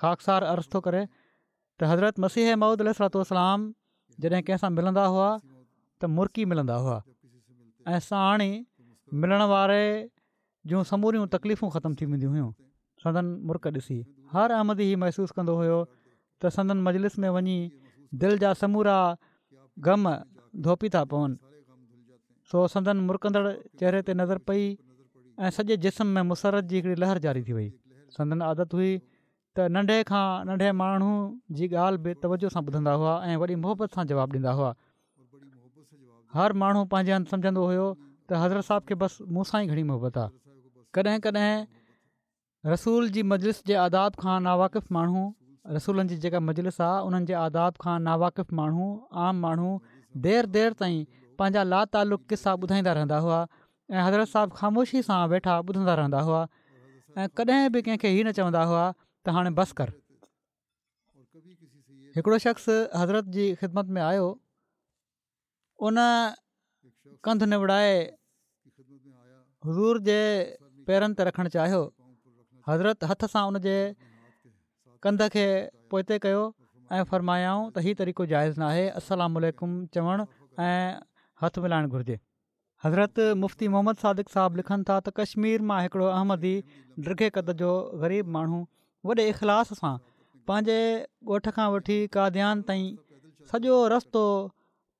خاڪسار عرض ٿو ڪري ته حضرت مسيح موعود عليه الصلوة والسلام جڏهن ڪنهن سان ملندا هئا ته مرڪي ملندا هئا ۽ ساڻ ئي ملڻ واري جون سموريون تڪليفون ختم ٿي وينديون هيون سندن مرڪ ڏسي هر احمدي هي محسوس ڪندو هيو ته سندن مجلس ۾ وڃي دل جا سمورا غم ڌوپي ٿا پون سو سندن مرڪندڙ چهري تي نظر پئي ۽ سڄي جسم ۾ مسرت جي هڪڙي لهر جاري ٿي وئي سندن عادت هئي ته ننڍي کان ننڍي ماڻهو جي ڳالهه به توجه سان ٻڌندا هئا ۽ وڏي محبت سان جواب ڏيندا هئا. هر ماڻهو پنهنجي هنڌ سمجهندو هيو ته حضرت صاحب کي بس مون سان ئي گهڻي محبت آ. ڪڏهن ڪڏهن رسول جي مجلس جي آداب کان ناواقف ماڻهو رسولن جي جيڪا مجلس آ انهن جي آداب کان ناواقف ماڻهو عام ماڻهو دير دير تائين پنهنجا لاتعلق قصا ٻڌائيندا رهندا هئا ۽ حضرت صاحب خاموشي سان ويٺا ٻڌندا رهندا هئا ۽ ڪڏهن به ڪنهن کي هي نه چوندا هئا ته هاڻي بس ڪر. هڪڙو شخص حضرت جي خدمت ۾ آيو ان ڪنڌ نوڙائي حضور جي پيرن تي رکڻ چاهيو حضرت هٿ سان ان جي ڪنڌ کي پوئتي ڪيو ۽ فرمايائون ته هي طريقو جائز ناهي السلام عليڪم چوڻ ۽ هٿ ملائڻ گهرجي. حضرت مفتي محمد صادق صاحب لکن ٿا ته ڪشمير مان هڪڙو احمدي ڊگهي قد جو غريب ماڻهو وڏي اخلاص سان پنهنجي ڳوٺ کان وٺي قاديان تائين سڄو رستو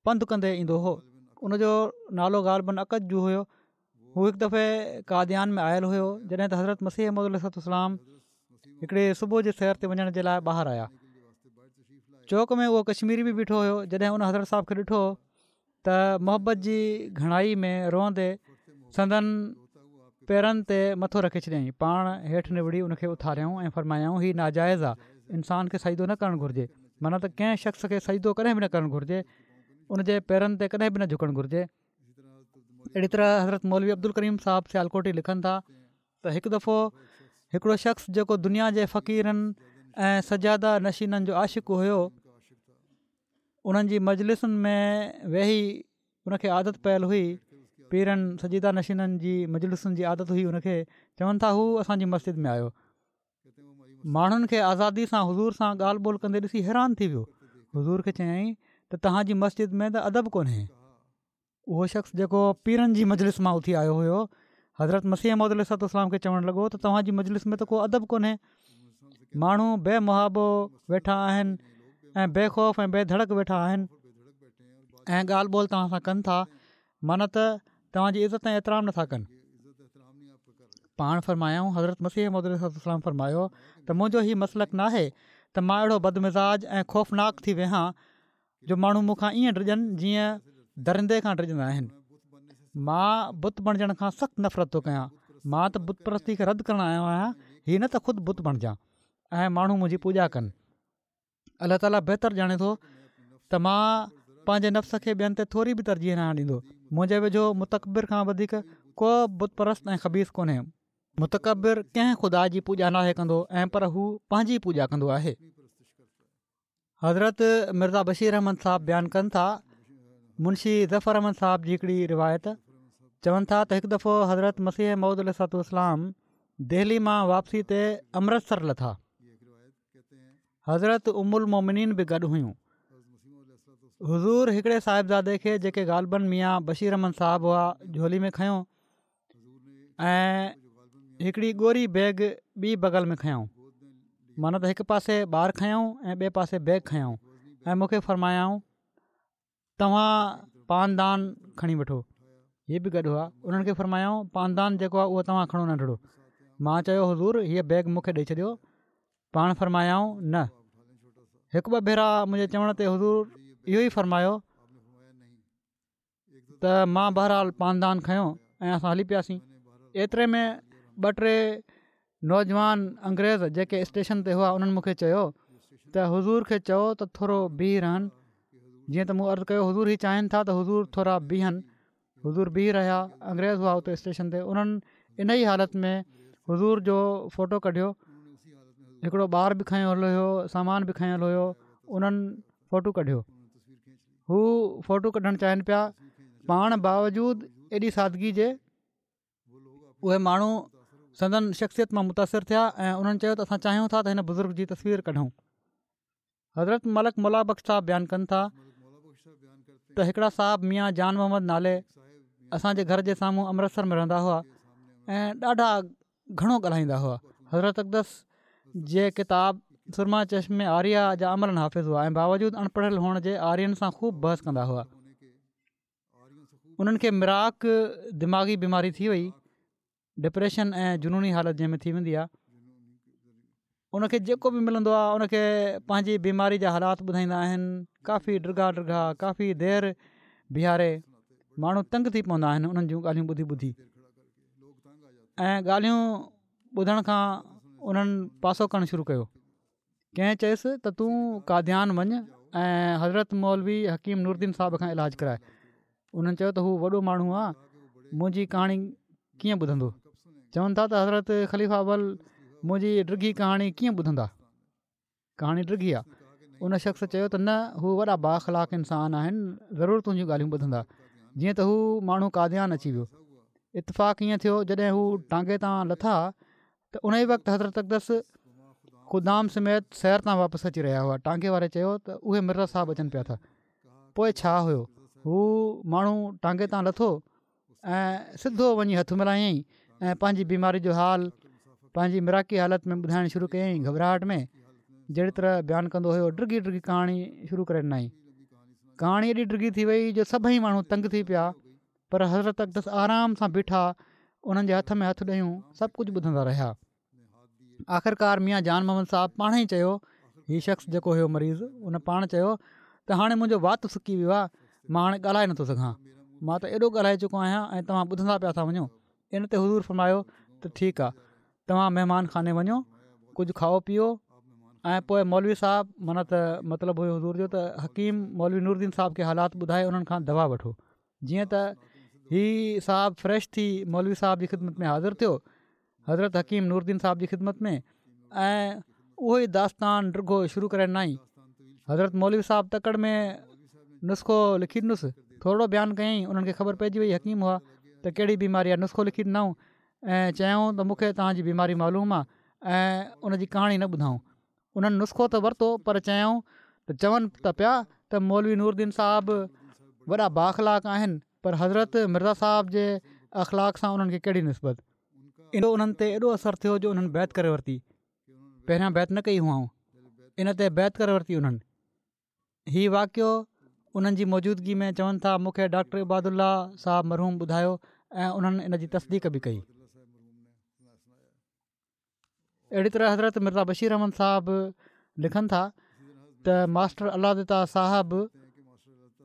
پنڌ ڪندي ايندو هو ان جو نالو غالباً اڪد جو هيو هو هڪ دفعي قاديان ۾ آيل هيو جڏهن ته حضرت مسيح موعود عليه الصلوة والسلام هڪڙي صبح جي سير تي وڃڻ جي لاء ٻاهر آيا چوڪ ۾ اهو ڪشميري به بيٺو هيو جڏهن ان حضرت صاحب کي ڏٺو ته محبت جي گهڻائي ۾ روئندي سندن پيرن تي مٿو رکي ڇڏيائين. پاڻ هيٺ نوڙي ان کي اٿاريائون ۽ فرمايائون هي ناجائز آ، انسان کي سجدو نه ڪرڻ گهرجي، معنيٰ ته ڪنهن شخص کي سجدو ڪڏهن به نه ڪرڻ گهرجي، ان جي پيرن تي ڪڏهن به نه جهڪڻ گهرجي. اهڙي طرح حضرت مولوي عبدالڪريم صاحب سيالڪوٽي لکن ٿا ته هڪ دفعو هڪڙو شخص جيڪو دنيا جي فقيرن ۽ سجاده نشينن جو عاشق هيو، انهن جي مجلسن ۾ ويهي ان کي عادت پيل هئي پيرن سجاده نشينن جي مجلسن جي عادت هئي ان کي چون ٿا هو اسان جي مسجد ۾ آيو ماڻهن کي آزادي سان حضور سان ڳالهه ٻولهه ڪندي ڏسي حيران ٿي ويو حضور کي چيائين ته توهان جي مسجد ۾ ته ادب ڪونهي اهو شخص جيڪو پيرن جي مجلس مان اٿي آيو هيو، حضرت مسيح موعود عليه الصلوة والسلام کي چوڻ لڳو ته توهان جي مجلس ۾ ته ڪو ادب ڪونهي، ماڻهو بي محابو ويٺا آهن ۽ بي خوف ۽ بي ڌڙڪ ويٺا آهن ۽ ڳالهه ٻولهه توهان سان ڪن ٿا معنيٰ ته توهان جي عزت ۽ احترام نٿا ڪن. پاڻ فرمايائون، حضرت مسيح موعود عليه الصلوة والسلام فرمايو ته منهنجو هي مسلڪ ناهي ته مان اهڙو بدمزاج ۽ خوفناڪ ٿي ويهان جو ماڻهو مون کان ائين ڊڄن جيئن درندي کان ڊڄندا آهن. مان بت بڻجڻ کان سخت نفرت ٿو ڪيان. مان ته بت پرستي کي رد ڪرڻ آيو آهيان، هي نه ته خود بت بڻجان ۽ ماڻهو منهنجي پوڄا ڪن. الله تعاليٰ بهتر ڄاڻي ٿو ته مان پنهنجي نفس کي ٻين تي ٿوري به ترجيح ناهيان ڏيندو. منهنجي ويجهو متڪبر کان وڌيڪ ڪو بت پرست ۽ خبيث ڪونهي. متڪبر ڪنهن خدا جي پوڄا ناهي ڪندو ۽ پر هو پنهنجي پوڄا ڪندو آهي. حضرت مرزا بشير احمد صاحب بيان ڪن ٿا منشي ظفر احمد صاحب جي هڪڙي روايت چون ٿا ته هڪ دفعو حضرت مسيح موعود عليه الصلوة والسلام دهلي مان واپسي تي امرتسر لٿا حضرت ام المومنين به گڏ هيون حضور هڪڙي صاحبزادي کي جيڪي غالباً ميان بشير احمد صاحب هئا جهولي ۾ کنيو ۽ هڪڙي ڳوري بيگ ٻي بغل ۾ کنيائون معنيٰ ته هڪ پاسي ٻار کنيائون ۽ ٻئي پاسي بيگ کنيائون ۽ مون کي فرمايائون توهان پاندان کڻي وٺو هي به گڏ هئا انهن کي فرمايائون پاندان جيڪو آهي اهو توهان کڻو ننڍڙو مان چيو حضور هيء بيگ مون کي ڏئي ڇڏيو پاڻ فرمايائون نه هڪ ٻه ڀيرا منهنجي چوڻ تي حضور اهو ئي فرمايو ته مان بهرحال پاندان کنيو ۽ اسان هلي پياسين ايتري ۾ ٻه ٽي نوجوان انگريز جيڪي اسٽيشن تي هئا انهن مون کي چيو ته حضور کي چئو ته ٿورو بيهي رهن جيئن ته مون عرض ڪيو حضور هي چاهين ٿا ته حضور ٿورا بيهن حضور بيهي رهيا انگريز هئا اتي اسٽيشن تي انهن ان ئي حالت ۾ حضور جو فوٽو ڪڍيو هڪڙو ٻار به کنيل هيو سامان به کنيل هيو انهن فوٽو ڪڍيو هو فوٽو ڪڍڻ چاهين پيا پاڻ باوجود ايڏي سادگي جي اهي ماڻهو سندن شخصيت مان متاثر ٿيا ۽ انهن چيو ته اسان چاهيون ٿا ته هن بزرگ جي تصوير ڪڍون حضرت ملڪ مولا بخش صاحب بيان ڪن ٿا ته هڪڙا صاحب ميان جان محمد نالي اسانجي گهر جي سامهون امرتسر ۾ رهندا هئا ۽ ڏاڍا گهڻو ڳالهائيندا هئا حضرت اقدس جي ڪتاب سرمه چشم آريا جا عملاً حافظ هئا ۽ باوجود اڻپڙهيل هئڻ جي آرين سان خوب بحث ڪندا هئا انهن کي مراق دماغي بيماري ٿي وئي ڊپريشن ۽ جنوني حالت جنهن ۾ ٿي ويندي آهي ان کي جيڪو به ملندو آهي ان کي پنهنجي بيماري جا حالات ٻڌائيندا آهن ڪافي ڊگها ڊگها ڪافي دير بيهاري ماڻهو تنگ ٿي پوندا آهن انهن جون ڳالهيون ٻڌي ٻڌي ۽ ڳالهيون ٻڌڻ کان انهن پاسو ڪرڻ شروع ڪيو ڪنهن چيس ته تون قاديان وڃ ۽ حضرت مولوي حڪيم نورالدين صاحب کان علاج ڪراء. انهن چيو ته هو وڏو ماڻهو آ، منهنجي ڪهاڻي ڪيئن ٻڌندو؟ چون ٿا ته حضرت خليفه اول منهنجي ڊگهي ڪهاڻي ڪيئن ٻڌندا؟ ڪهاڻي ڊگهي آ. ان شخص چيو ته نه هو وڏا بااخلاق انسان آهن، ضرور تنهنجون ڳالهيون ٻڌندا. جيئن ته هو ماڻهو قاديان اچي ويو. اتفاق ائين ٿيو جڏهن هو ٽانگي تان لٿا ته انهيء وقت حضرت اقدس خدام سميت سير تان واپس اچي رهيا هئا. ٽانگي واري چيو ته اهي مرزا صاحب اچن پيا ٿا. پوء ڇا هيو، هو ماڻهو ٽانگي تان لٿو ۽ سڌو وڃي هٿ ملايائين ۽ پنهنجي بيماري جو حال پنهنجي مراقي حالت ۾ ٻڌائڻ شروع ڪيائين گهٻراهٽ ۾ جهڙي طرح بيان ڪندو هيو ڊگهي ڊگهي ڪهاڻي شروع ڪري ڏنائين. ڪهاڻي ايڏي ڊگهي ٿي وئي جو سڀئي ماڻهو تنگ ٿي پيا پر حضرت اقدس آرام سان بيٺا انهن جي هٿ ۾ هٿ ڏيون سڀ ڪجهه ٻڌندا رهيا. آخرڪار ميان جان محمد صاحب پاڻ ئي چيو هي شخص جيڪو هيو مريض ان پاڻ چيو ته هاڻي منهنجو وات سڪي ويو آهي مان هاڻي ڳالهائي نٿو سگهان مان ته ايڏو ڳالهائي چڪو آهيان ۽ توهان ٻڌندا پيا ٿا وڃو ان تي حضور فرمايو ته ٺيڪ آهي توهان مهمان خاني وڃو ڪجهه کائو پيئو ۽ پوء مولوي صاحب معنيٰ ته مطلب هيو حضور جو ته حڪيم مولوي نور الدين صاحب کي حالات ٻڌائي انهن کان دوا وٺو جيئن ته هي صاحب فريش ٿي مولوي صاحب جي خدمت ۾ حاضر ٿيو حضرت حڪيم نور الدين صاحب جي خدمت ۾ ۽ اهو ئي داستان ڊگهو شروع ڪري ڏنائين حضرت مولوي صاحب تڪڙ ۾ نسخو لکي ڏنس ٿورڙو بيان ڪيائين انهن کي خبر پئجي وئي حڪيم هئا ته ڪهڙي بيماري آهي نسخو لکي ڏنائون ۽ چيائون ته مون کي توهان جي بيماري معلوم آهي ۽ ان جي ڪهاڻي نه ٻڌائون انهن نسخو ته ورتو پر چيائون ته چون ته پيا ته مولوي نور الدين صاحب وڏا بااخلاق آهن پر حضرت مرزا صاحب جي اخلاق سان انهن کي ڪهڙي نسبت. ان جو انهن تي ايڏو اثر ٿيو جو انهن بيعت ڪري ورتي. پهريان بيعت نه ڪئي هئائون. ان تي بيعت ڪري ورتي انهن. هي واقعو انهن جي موجودگي ۾ چون ٿا مون کي ڊاڪٽر عبادالله صاحب مرحوم ٻڌايو ۽ انهن ان جي تصديق به ڪئي. اهڙي طرح حضرت مرزا بشير احمد صاحب لکن ٿا ته ماسٽر الله دتا صاحب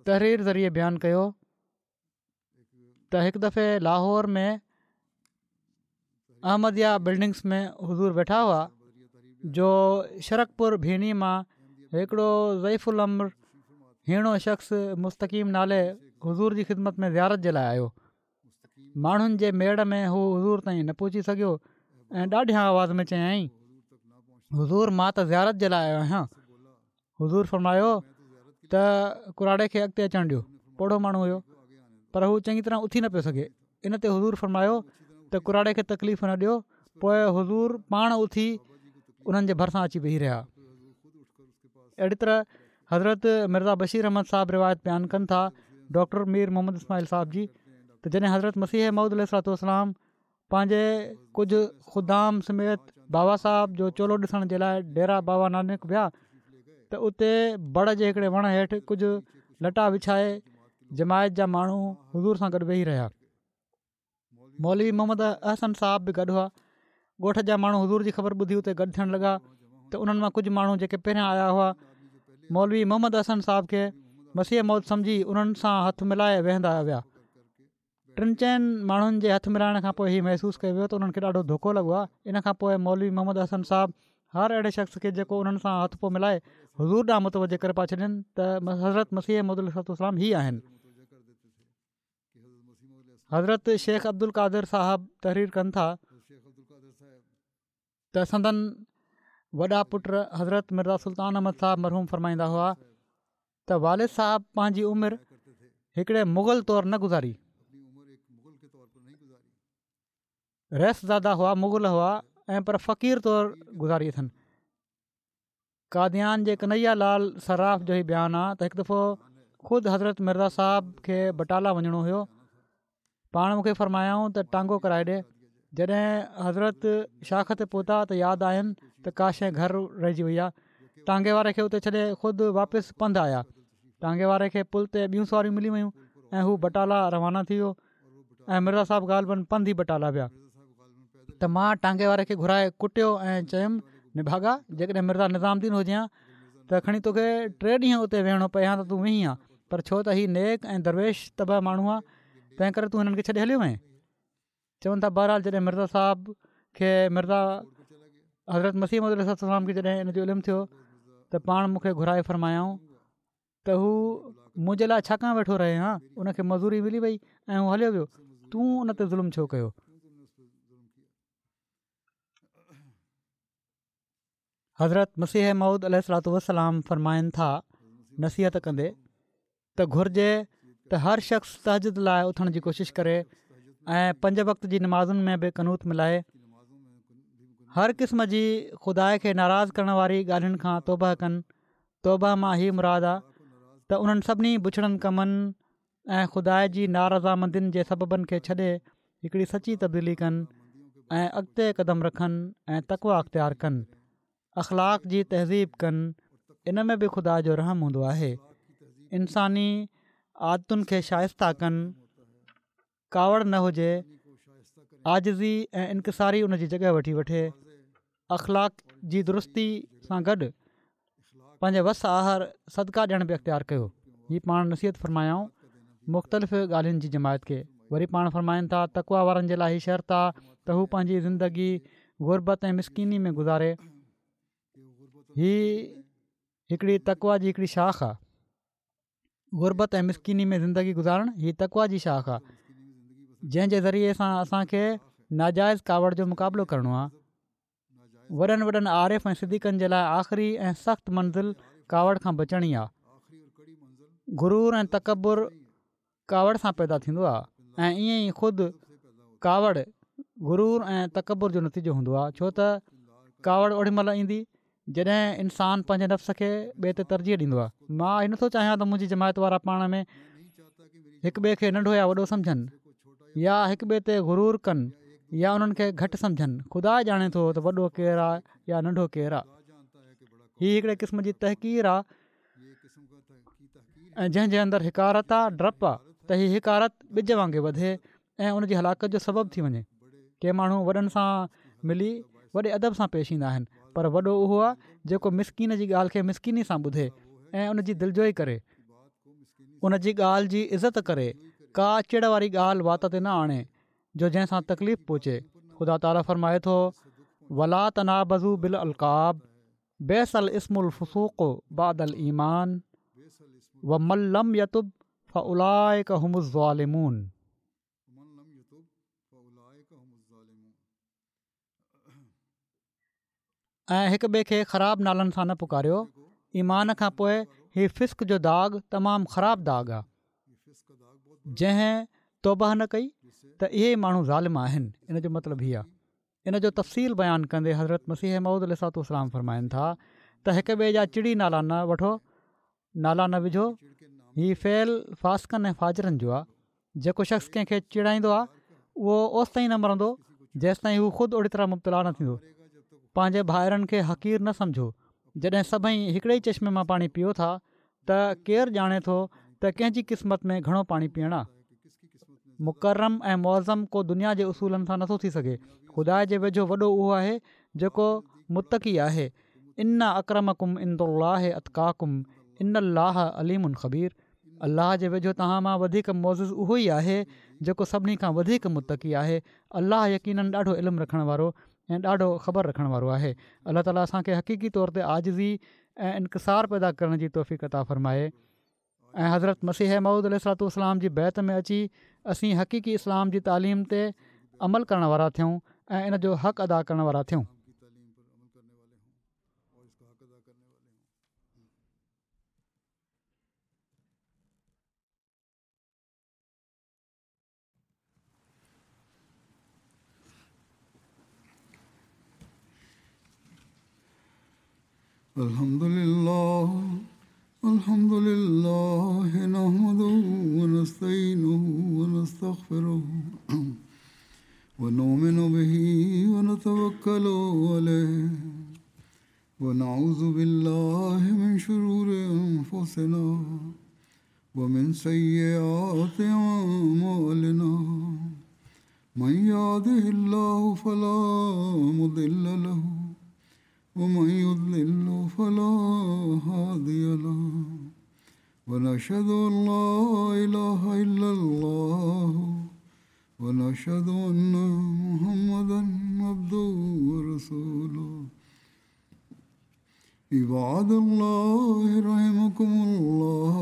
تحرير ذريعي بيان ڪيو ته هڪ دفعي لاهور ۾ احمديه بلڊنگس ۾ حضور ويٺا هئا جو شرقپور ڀيني مان هڪڙو ضعيف العمر هيڻو شخص مستقيم نالي حضور جي خدمت ۾ زيارت جي لاء آيو ماڻهن جي ميڙ ۾ هو حضور تائين نه پهچي سگهيو ۽ ڏاڍيان آواز ۾ چيائين حضور مان ته زيارت جي لاء آيو آهيان حضور فرمايو ته ڪراڙي کي اڳتي اچڻ ڏيو پوڙهو ماڻهو هيو پر هو چڱي طرح اٿي نه پيو سگهي ان تي حضور فرمايو ته ڪراڙي کي تڪليف نه ڏيو پوء حضور پاڻ اٿي انهن جي ڀرسان اچي ويهي رهيا اهڙي طرح حضرت مرزا بشير احمد صاحب روايت بيان ڪن ٿا ڊاڪٽر مير محمد اسماعيل صاحب جي ته جڏهن حضرت مسيح موعود عليه الصلوة والسلام پنهنجي ڪجهه خدام سميت بابا صاحب جو چولو ڏسڻ جي لاء ڊيرا بابا نانڪ ويا ته اتي بڙ جي هڪڙي وڻ هيٺ ڪجهه لٽا وڇائي جماعت جا ماڻهو حضور سان گڏ ويهي رهيا مولوي محمد احسن صاحب به گڏ هئا. ڳوٺ جا ماڻهو حضور جي خبر ٻڌي اتي گڏ ٿيڻ لڳا ته انهن مان ڪجهه ماڻهو جيڪي پهريان آيا هئا مولوي محمد احسن صاحب کي مسيح موعود سمجهي انهن سان هٿ ملائي ويهندا ويا. ٽن چئن ماڻهن جي هٿ ملائڻ کان پوء هي محسوس ڪيو ويو ته انهن کي ڏاڍو ڌوڪو لڳو آهي. ان کان پوء مولوي محمد حسن صاحب هر اهڙي شخص کي جيڪو انهن سان هٿ پيو ملائي حضور ڏانهن متوجه ڪري پيا ڇڏين ته حضرت مسيح موعود عليه الصلوة والسلام هي آهن. حضرت شيخ عبدالقادر صاحب تحرير ڪن ٿا ته سندن وڏا پٽ حضرت مرزا سلطان احمد صاحب مرحوم فرمائيندا هئا ته والد صاحب پنهنجي عمر هڪڙي مغل طور نه گذاري رئيس زاده هئا مغل هئا ۽ پر فقير طور گذاري اٿن قاديان جي ڪنعيا لال صراف جو هي بيان آ ته هڪ دفعو خود حضرت مرزا صاحب کي بٽالا وڃڻو هيو پاڻ مونکي فرمايائون ته ٽانگو ڪرائي ڏي جڏهن حضرت شاخ تي پهتا ته ياد آين ته ڪا شيء گهر رهجي وئي آ ٽانگي واري کي اتي ڇڏي خود واپس پنڌ آيا ٽانگي واري کي پل تي ٻيون سواريون ملي ويون ۽ هو بٽالا روانا ٿي ويو ۽ مرزا صاحب غالباً پنڌ ئي بٽالا ويا ته مان ٽانگي واري کي گهرائي ڪٽيو ۽ چيم نڀاڳا جيڪڏهن مرزا نظام الدين هجي ها ته کڻي توکي ٽي ڏينهن اتي ويهڻو پئي ها ته تون ويهين ها پر ڇو ته هي نيڪ ۽ درويش طبع ماڻهو آهي تنهن ڪري تون هنن کي ڇڏي هليو وئين چون ٿا بهرحال جڏهن مرزا صاحب کي مرزا حضرت مسيح موعود عليه الصلوة والسلام کي جڏهن ان جو علم ٿيو ته پاڻ مون کي گهرائي فرمايائون ته هو منهنجي لاء ڇا ڪاڻ ويٺو رهي ها ان کي مزوري ملي وئي ۽ هو هليو ويو تون ان تي ظلم ڇو ڪيو؟ حضرت مسيح موعود عليه الصلوة والسلام فرمائن ٿا نصيحت ڪندي ته گهرجي ته هر شخص تهجد لاء اٿڻ جي ڪوشش ڪري ۽ پنج وقت جي نمازن ۾ به قنوت ملائي هر قسم جي خدا کي ناراض ڪرڻ واري ڳالهين کان توبه ڪن توبه مان هي مراد آ ته انهن سڀني بڇڙن ڪمن ۽ خدا جي نارضامندين جي سببن کي ڇڏي هڪڙي سچي تبديلي ڪن ۽ اڳتي قدم رکن ۽ تقويٰ اختيار ڪن اخلاق جي تهذيب ڪن ان ۾ به خدا جو رحم هوندو آهي انساني عادتن کي شائسته ڪن ڪاوڙ نه هجي، عاجزي ۽ انڪساري ان جي جڳهه وٺي وٺي، اخلاق جي درستي سان گڏ پنهنجي وس آهر صدقا ڏيڻ به اختيار ڪيو. هي پاڻ نصيحت فرمايائون مختلف ڳالهين جي جماعت کي. وري پاڻ فرمائن ٿا تقويٰ وارن جي لاء هي شرط آ ته هو پنهنجي زندگي غربت ۽ مسڪيني ۾ گذاري. هي هڪڙي تقويٰ جي هڪڙي شاخ آ. غربت ۽ مسڪيني ۾ زندگي گذارڻ هي تقويٰ جي شاخ آهي جنهن جي ذريعي سان اسان کي ناجائز ڪاوڙ جو مقابلو ڪرڻو آهي وڏن وڏن عارف ۽ صديقن جي لاء آخري ۽ سخت منزل ڪاوڙ کان بچڻ ئي آهي غرور ۽ تڪبر ڪاوڙ سان پيدا ٿيندو آهي ۽ ائين ئي خود ڪاوڙ غرور ۽ تڪبر جو نتيجو هوندو آهي ڇو ته ڪاوڙ اوڏي مهل ايندي جڏهن انسان پنهنجي نفس کي ٻئي تي ترجيح ڏيندو آهي. مان هي نٿو چاهيان ته منهنجي جماعت وارا پاڻ ۾ هڪ ٻئي کي ننڍو يا وڏو سمجهن يا هڪ ٻئي تي غرور ڪن يا انهن کي گهٽ سمجهن. خدا ڄاڻي ٿو ته وڏو ڪير آهي يا ننڍو ڪير آهي. هي هڪڙي قسم جي تحقير آهي ۽ جنهن جي اندر حقارت آ، ڊپ آ ته هي حقارت ٻج وانگي وڌي ۽ ان جي هلاڪت جو سبب ٿي وڃي. ڪي ماڻهو وڏن سان ملي وڏي ادب سان پيش ايندا آهن پر وڏو اهو آ جيڪو مسڪين جي ڳالهه کي مسڪيني سان ٻڌي ۽ ان جي دلجوئي ڪري، ان جي ڳالهه جي عزت ڪري، ڪا چڙ واري ڳالهه وات تي نه آڻي جو جنهن سان تڪليف پهچي. خدا تعاليٰ فرمائي ٿو، ولا تنابزوا بالالقاب بئس الاسم الفسوق بعد الايمان ومن لم يتب فاولئک هم الظالمون. ۽ هڪ ٻئي کي خراب نالن سان نه پڪاريو، ايمان کان پوء هي فسق جو داغ تمام خراب داغ آهي، جنهن توبه نه ڪئي ته اهي ئي ماڻهو ظالم آهن، ان جو مطلب هي آهي. ان جو تفصيل بيان ڪندي حضرت مسيح موعود عليه الصلوة والسلام فرمائن ٿا ته هڪ ٻئي جا چڙي نالا نه وٺو، نالا نه وجهو، هي فعل فاسقن ۽ فاجرن جو آهي، جيڪو شخص ڪنهن کي چيڙائيندو آهي اهو اوستائين نه مرندو جيستائين هو خود اوڙي طرح مبتلا نه ٿيندو. پنهنجي ڀائرن کي حقير نه سمجهو، جڏهن سڀئي هڪڙي ئي چشمي مان پاڻي پيئو ٿا ته ڪير ڄاڻي ٿو ته ڪنهن جي قسمت ۾ گهڻو پاڻي پيئڻ آ. مڪرم ۽ معظم ڪو دنيا جي اصولن سان نٿو ٿي سگهي. خدا جي ويجهو وڏو اهو آهي جيڪو متقي آهي. ان اڪرمڪم عندالله اتقاڪم ان الله عليم خبير. الله جي ويجهو توهان مان وڌيڪ معزز اهو ئي آهي جيڪو سڀني کان وڌيڪ متقي آهي. الله يقيناً ڏاڍو علم رکڻ وارو ۽ ڏاڍو خبر رکڻ وارو آهي. الله تعالي اسان کي حقيقي طور تي عاجزي ۽ انڪسار پيدا ڪرڻ جي توفيق عطا فرمائي ۽ حضرت مسيح موعود عليه الصلوة والسلام جي بيعت ۾ اچي اسين حقيقي اسلام جي تعليم تي عمل ڪرڻ وارا ٿيون ۽ ان جو حق ادا ڪرڻ وارا ٿيون. الحمد لله الحمد لله نحمده ونستعينه ونستغفره ونؤمن به ونتوكل عليه ونعوذ بالله من شرور أنفسنا ومن سيئات أعمالنا من يهده الله فلا مضل له ومن يضلل فلا هادي له ونشهد أن لا إله إلا الله ونشهد أن محمدا عبده ورسوله عباد الله رحمكم الله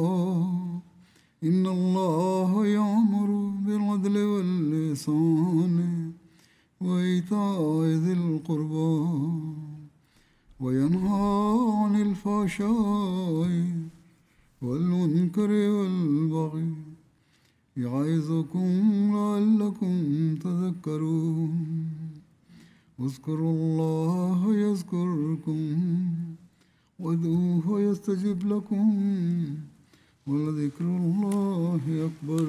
إن الله يأمر بالعدل واللسان وإيتاء ذي القربى وينهى عن الفحشاء والمنكر والبغي يعظكم لعلكم تذكرون اذكروا الله يذكركم وادعوه يستجب لكم ولذكر الله أكبر.